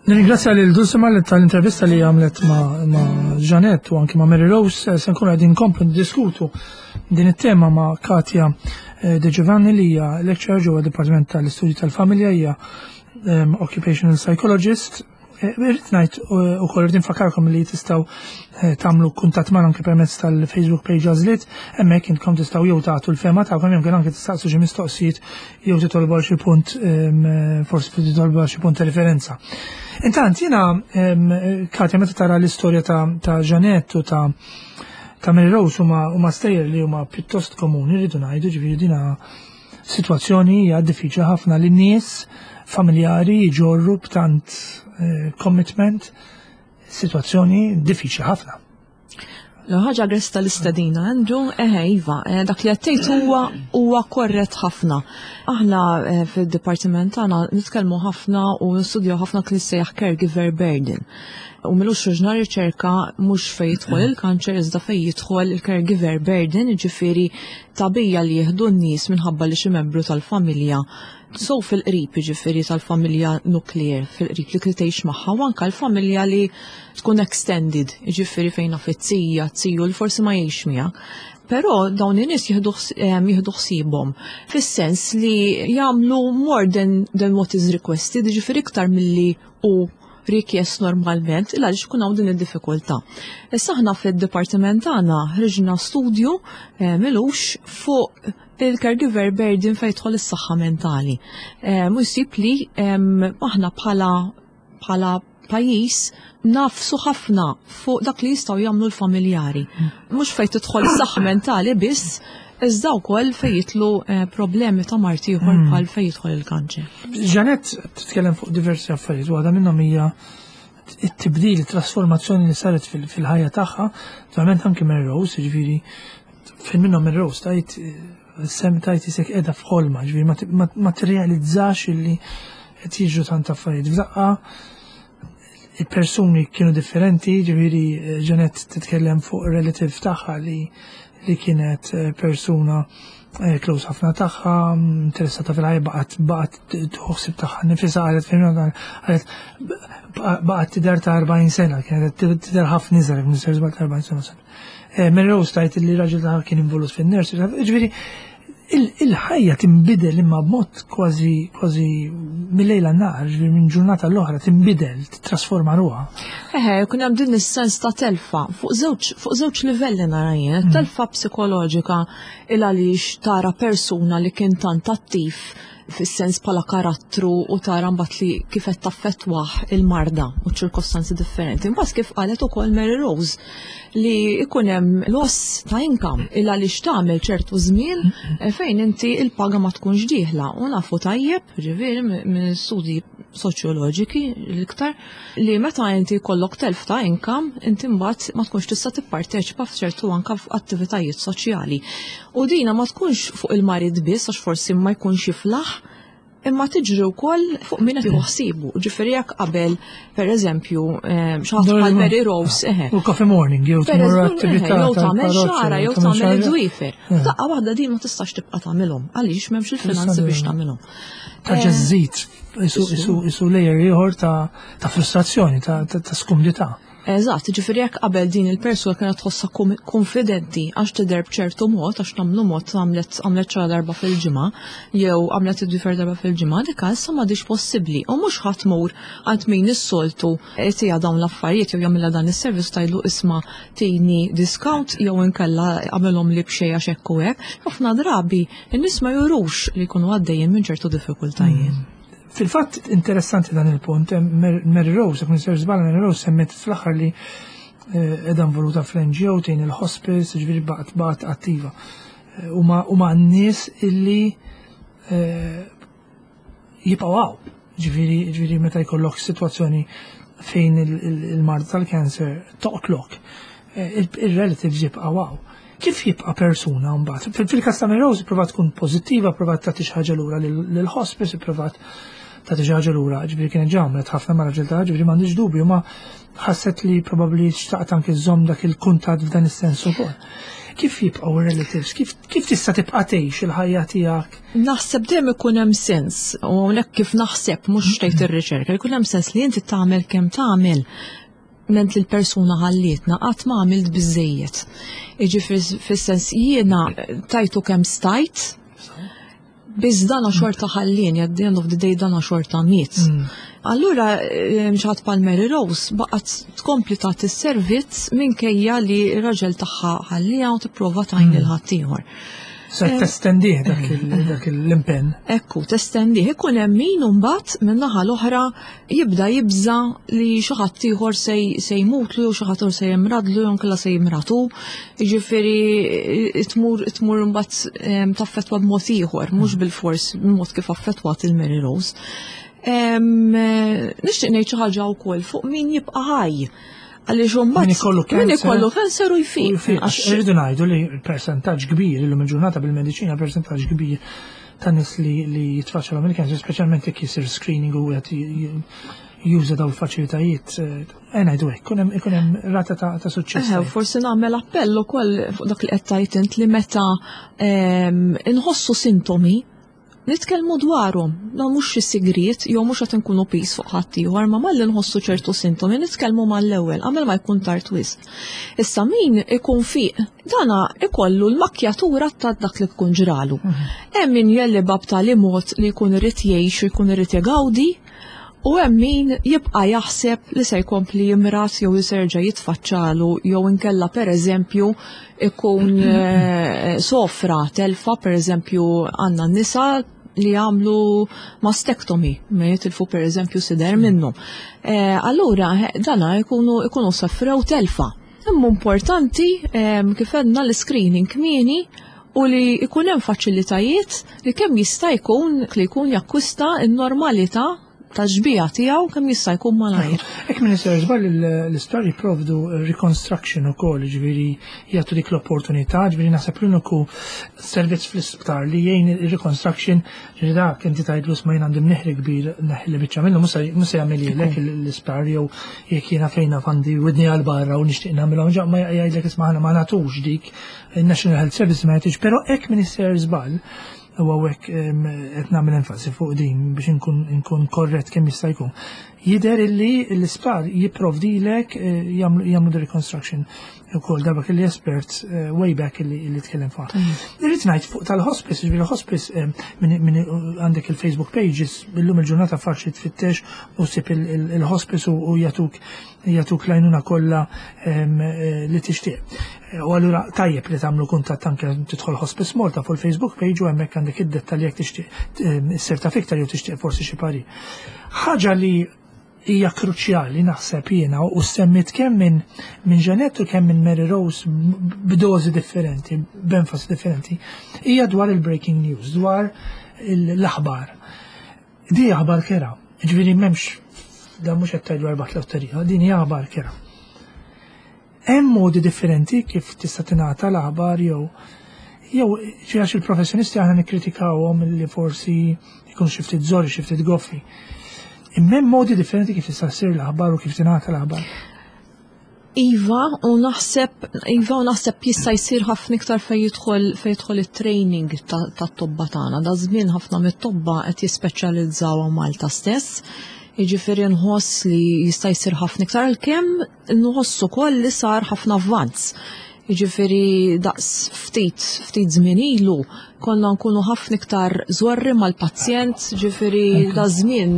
Nirringrazzja lil Dulcima li tal-intervista li għamlet ma', ma Janet u anki ma' Mary Rose eh, se nkunu qegħdin nkomplu niddiskutu din it-tema ma' Katja eh, De Giovanni li hija lecturer ġewwa Dipartiment tal-Istudji tal-Familja hija ehm, occupational psychologist Eh, irrid ngħid eh, ukoll irrid nfakarkom li tistgħu eh, tagħmlu kuntatt magħna anke permezz tal-Facebook page Għażliet, hemmhekk intkom tistgħu jew tagħtu l-fema tagħkom jew anke tistaqsu xi mistoqsijiet jew titolbu għal xi punt ehm, forsi titolbu għal xi punt ta' referenza. Intant jiena ehm, Katja meta tara l-istorja ta' Janet u ta' ta' Mary Rose huma stejjer li huma pjuttost komuni rridu ngħidu ġifieri dina Sitwazzjoni hija diffiċli ħafna li nies familjari jġorru b'tant eh, commitment sitwazzjoni diffiċli ħafna. L-ħaġa gres tal-istadina, Andrew, eħe, Iva, eh, dak li għattejt huwa huwa korrett ħafna. Aħna eh, fil-dipartiment tagħna nitkellmu ħafna u nistudjaw ħafna kien sejjaħ caregiver burden. U milux ħriġna riċerka mhux fejn jidħol il-kanċer iżda fejn jidħol il-caregiver burden, jiġifieri tagħbija li jieħdu n-nies minħabba li xi membru tal-familja so fil-qrib jiġifieri tal-familja nuklear fil-qrib li tgħix magħha u anke l-familja li tkun extended, jiġifieri fejn naf it-tija, t-tiju li forsi ma jgħix miegħek. Però dawn in-nies jieħdu eh, ħsiebhom fis-sens li jagħmlu more than, than what is requested, jiġifieri iktar milli hu rikjest normalment il għaliex ikun hawn din id-diffikultà. Issa aħna fid-dipartiment tagħna ħriġna studju eh, milux fuq il-caregiver burden fejn jidħol is-saħħa mentali. Eh, u jsib li aħna bħala bħala pajjiż nafsu ħafna fuq dak li jistgħu jagħmlu l-familjari. Mhux fejn tidħol is-saħħa mentali biss, iżda wkoll fejn jidħlu eh, problemi ta' mard ieħor hmm. bħal fejn jidħol il-kanċer. Ġanet titkellem fuq diversi affarijiet, waħda minnhom hija it-tibdil, it-trasformazzjoni li saret fil-ħajja tagħha, naturalment anki minn Rose, ġifieri fejn minnhom minn Rose tajt sem tajt isek qiegħda f'ħolma, ġifieri ma tirrealizzax illi qed jiġru tant affarijiet. F'daqqa il-persuni kienu differenti, ġifieri eh, Janet titkellem fuq relative tagħha li li kienet eh, persuna eh, close ħafna tagħha, interessata fil-ħajja baqgħet baqgħet tħossib tagħha nifisha qalet fejn qalet baqgħet tidher ta' 40 sena, kienet tidher ħafna iżgħar, minn ta' 40 sena. Mary Rose tajt li raġel tagħha kien involut fin-nurse, ġifieri il-ħajja tinbidel imma b'mod kważi kważi mill-lejl għan-nahar, ġifieri minn ġurnata l-oħra tinbidel, titrasforma ruha. Eħe, kun hemm din is-sens ta' telfa fuq żewġ fuq żewġ livelli nara jien, mm. telfa psikoloġika il għaliex tara persuna li kien tant attiv. fis-sens bħala karattru u tara mbagħad li kif qed taffettwah il-marda u ċirkostanzi differenti. Imbagħad kif qalet ukoll Mary Rose li ikun hemm loss ta' income il għaliex tagħmel ċertu żmien eh, fejn inti il-paga ma tkunx dieħla u nafu tajjeb, ġifieri minn studji soċjoloġiki l-iktar li meta inti jkollok telf ta' income, inti mbagħad ma tkunx tista' tipparteċipa f'ċertu anka f'attivitajiet soċjali. U dina ma tkunx fuq il-marid biss għax forsi ma jkunx jiflaħ, imma tiġri wkoll fuq min qed ħsibu. Ġifieri jekk qabel, pereżempju, eh, xi ħadd bħal Mary Rose, eħe. U coffee morning jew tmur attività. Jew tagħmel xara, jew tagħmel id-dwiefer. Daqqa waħda din ma tistax tibqa' tagħmilhom għaliex m'hemmx il-finanzi biex tagħmilhom. Tarġa' eh, żżid isu layer ieħor ta' frustrazzjoni, ta' skumdità. Eżatt, ġifieri jekk qabel din il-persuna kienet tħossha konfidenti għax tidher b'ċertu mod, għax nagħmlu mod għamlet għamlet xara darba fil-ġimgħa, jew għamlet id-difer darba fil-ġimgħa, dik issa m'għadix possibbli. U mhux ħadd tmur għand min is-soltu tiegħha dawn l-affarijiet jew jagħmilha dan is-servizz tajlu isma' tini discount jew inkella għamilhom li b'xejn għax hekk u hekk. Ħafna drabi In-nies ma jurux li jkunu għaddejjin minn ċertu diffikultajiet. Mm. Fil-fatt interessanti dan il-punt, Mary Rose, jekk nisir żball Mary Rose semmet fl-aħħar li eh, edha involuta fl-NGO tejn il-hospice, ġifieri baqgħet baqgħet attiva. Eh, huma n-nies illi eh, jibqgħu hawn. Ġifieri ġifieri meta jkollok sitwazzjoni fejn il-mard tal-cancer toqtlok, eh, il-relatives jibqgħu hawn. Kif jibqa' persuna mbagħad? Fil-każ ta' Rose provat tkun pożittiva, provat tagħti xi ħaġa lura lill-hospice, provat tagħti xi ħaġa lura, ġifieri kienet ġamlet ħafna ma' raġel ta' ġifieri m'għandix dubju ma ħasset li probabbli xtaqt anke żomm dak il-kuntatt f'dan is-sens ukoll. Kif jibqgħu relatives? Kif, kif tista' tibqa' tgħix il-ħajja tiegħek? Naħseb dejjem ikun hemm sens, u hawnhekk kif naħseb mhux tgħid ir-riċerka, jkun hemm sens li inti tagħmel kemm tagħmel ment li l-persuna ħallietna qatt ma għamilt biżejjed. Jiġifieri fis-sens jiena tajtu kemm stajt, Biss dana xorta ħallini, at the end of the day dana xorta miet. Mm. Allura eh, xaħat pal Mary Rose baqgħet tkompli tagħti s-servizz minkejja li r-raġel tagħha ħallija u tipprova tgħin lil mm. ħaddieħor. Se eh, testendih dak l-impenn. Ekku, testendih. Ikun hemm min imbagħad min-naħa l-oħra jibda jibża li xi ħadd ieħor se jmutlu jew xi ħadd se jimradlu jew inkella se jimratu. Jiġifieri tmur tmur imbagħad ehm, taffettwa b'mod ieħor, mhux mm. bil-fors b'mod kif affettwat il-Mary Rose. Ehm, nixtieq ngħid xi ħaġa wkoll fuq min jibqa' ħaj. Għaliex imbagħad min ikollu cancer. Min ikollu cancer u jfiq. Irridu ngħidu li persentaġġ kbir illum il-ġurnata bil-mediċina persentaġġ kbir ta' nies li, li jitfaċċalhom il-cancer, speċjalment jekk jisir screening u qed juża daw il-faċilitajiet, eh, ngħidu hekk, ikun hemm rata ta', ta suċċess. Eh, forsi nagħmel appell ukoll fuq dak li qed tgħid int li meta ehm, inħossu sintomi nitkellmu dwarhom, dan mhux xi sigriet jew mhux qed inkunu pis fuq ħaddieħor, ma malli nħossu ċertu sintomi nitkellmu mal-ewwel qabel ma jkun tard wisq. Issa min ikun fiq Dana ikollu l-makkjatura ta' dak li tkun ġralu. Mhm. Hemm min jelliba b'tali mod li jkun irid jgħix u jkun irid jgawdi, u hemm min jibqa' jaħseb li se jkompli jimrat jew jiserġa' jitfaċċalu jew inkella pereżempju ikun eh, sofra telfa pereżempju għandna nisa li għamlu mastectomy, ma jitilfu per eżempju sider minnu. Eh, allura, eh, dana jkunu ikunu sofrew telfa. Imma importanti kif għedna l-screening kmieni u li jkun hemm faċilitajiet li kemm jista' jkun li jkun jakkwista n-normalità ta' xbija tiegħu kemm jista' jkun malajr. Hekk minn isir żball l-isptar jipprovdu reconstruction ukoll, ġifieri jagħtu dik l-opportunità, ġifieri naħseb l-uniku servizz fl-isptar li jgħin il-reconstruction Ġifieri dak inti tgħidlu isma' jien għandi mneħri kbir neħli biċċa minnu mhux se jagħmililek l-isptar jew jekk jiena fejn naf għandi widni għal barra u nixtieq nagħmilhom ġa ma jgħidlek isma' aħna ma nagħtux dik il-National Health Service ma jagħtix, però hekk min isser żball u hawnhekk qed nagħmel enfasi fuq din biex inkun korrett kemm jista' jkun. Jidher illi l-isptar jipprovdilek eh, jagħmlu reconstruction ukoll darba kelli espert eh, way back illi tkellem fuq. Irrid ngħid fuq tal-hospice, ġifieri hospice eh, minn għandek il-Facebook pages illum il-ġurnata faċli tfittex u ssib il-hospice u jagħtuk jagħtuk lajnuna kollha eh, li tixtieq. U allura tajjeb li tagħmlu kuntatt anke tidħol Hospice Malta fuq il-Facebook page u hemmhekk għandek id-dettalji jekk tixtieq issir taf iktar jew tixtieq forsi xi parir. Ħaġa li hija kruċjali naħseb jiena u semmit kemm minn min Jeanette u kemm minn Mary Rose b'dożi differenti, b'enfasi differenti, hija dwar il-breaking news, dwar l-aħbar. Di aħbar kerha, ġifieri m'hemmx da mhux qed tgħidu erba' lotterija, din hija aħbar kerha. Hemm modi differenti kif tista' tingħata l-aħbar jew jew għax il-professjonisti aħna nikkritikawhom li forsi jkun xi ftit żorri, xi ftit goffi. Imma hemm modi differenti kif tista' ssir l-aħbar u kif tingħata l-aħbar. Iva, u naħseb, iva, u naħseb jista' jsir ħafna iktar fejn jidħol fejn jidħol it-training tat-tobba tagħna. Da żmien ħafna mit-tobba qed jispeċjalizzaw Malta stess. Jiġifieri nħoss li jista' jsir ħafna iktar għalkemm nħoss ukoll li sar ħafna avvanz. Jiġifieri daqs ftit ftit żmien ilu konna nkunu ħafna iktar żorri mal-pazjent, ġifieri da żmien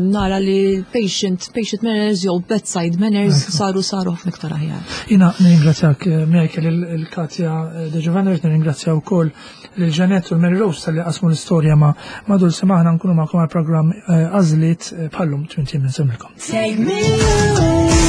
nara li patient patient manners jew bedside manners saru saru ħafna iktar aħjar. Jiena nirringrazzjak Michael il-Katja De Giovanni, nirringrazzja wkoll lil Janet u l-Mary Rose tal-li qasmu l-istorja ma' ma' Dulce maħna nkunu magħkom għal-programm Għażliet bħallum 20 minn semmilkom. Take me away.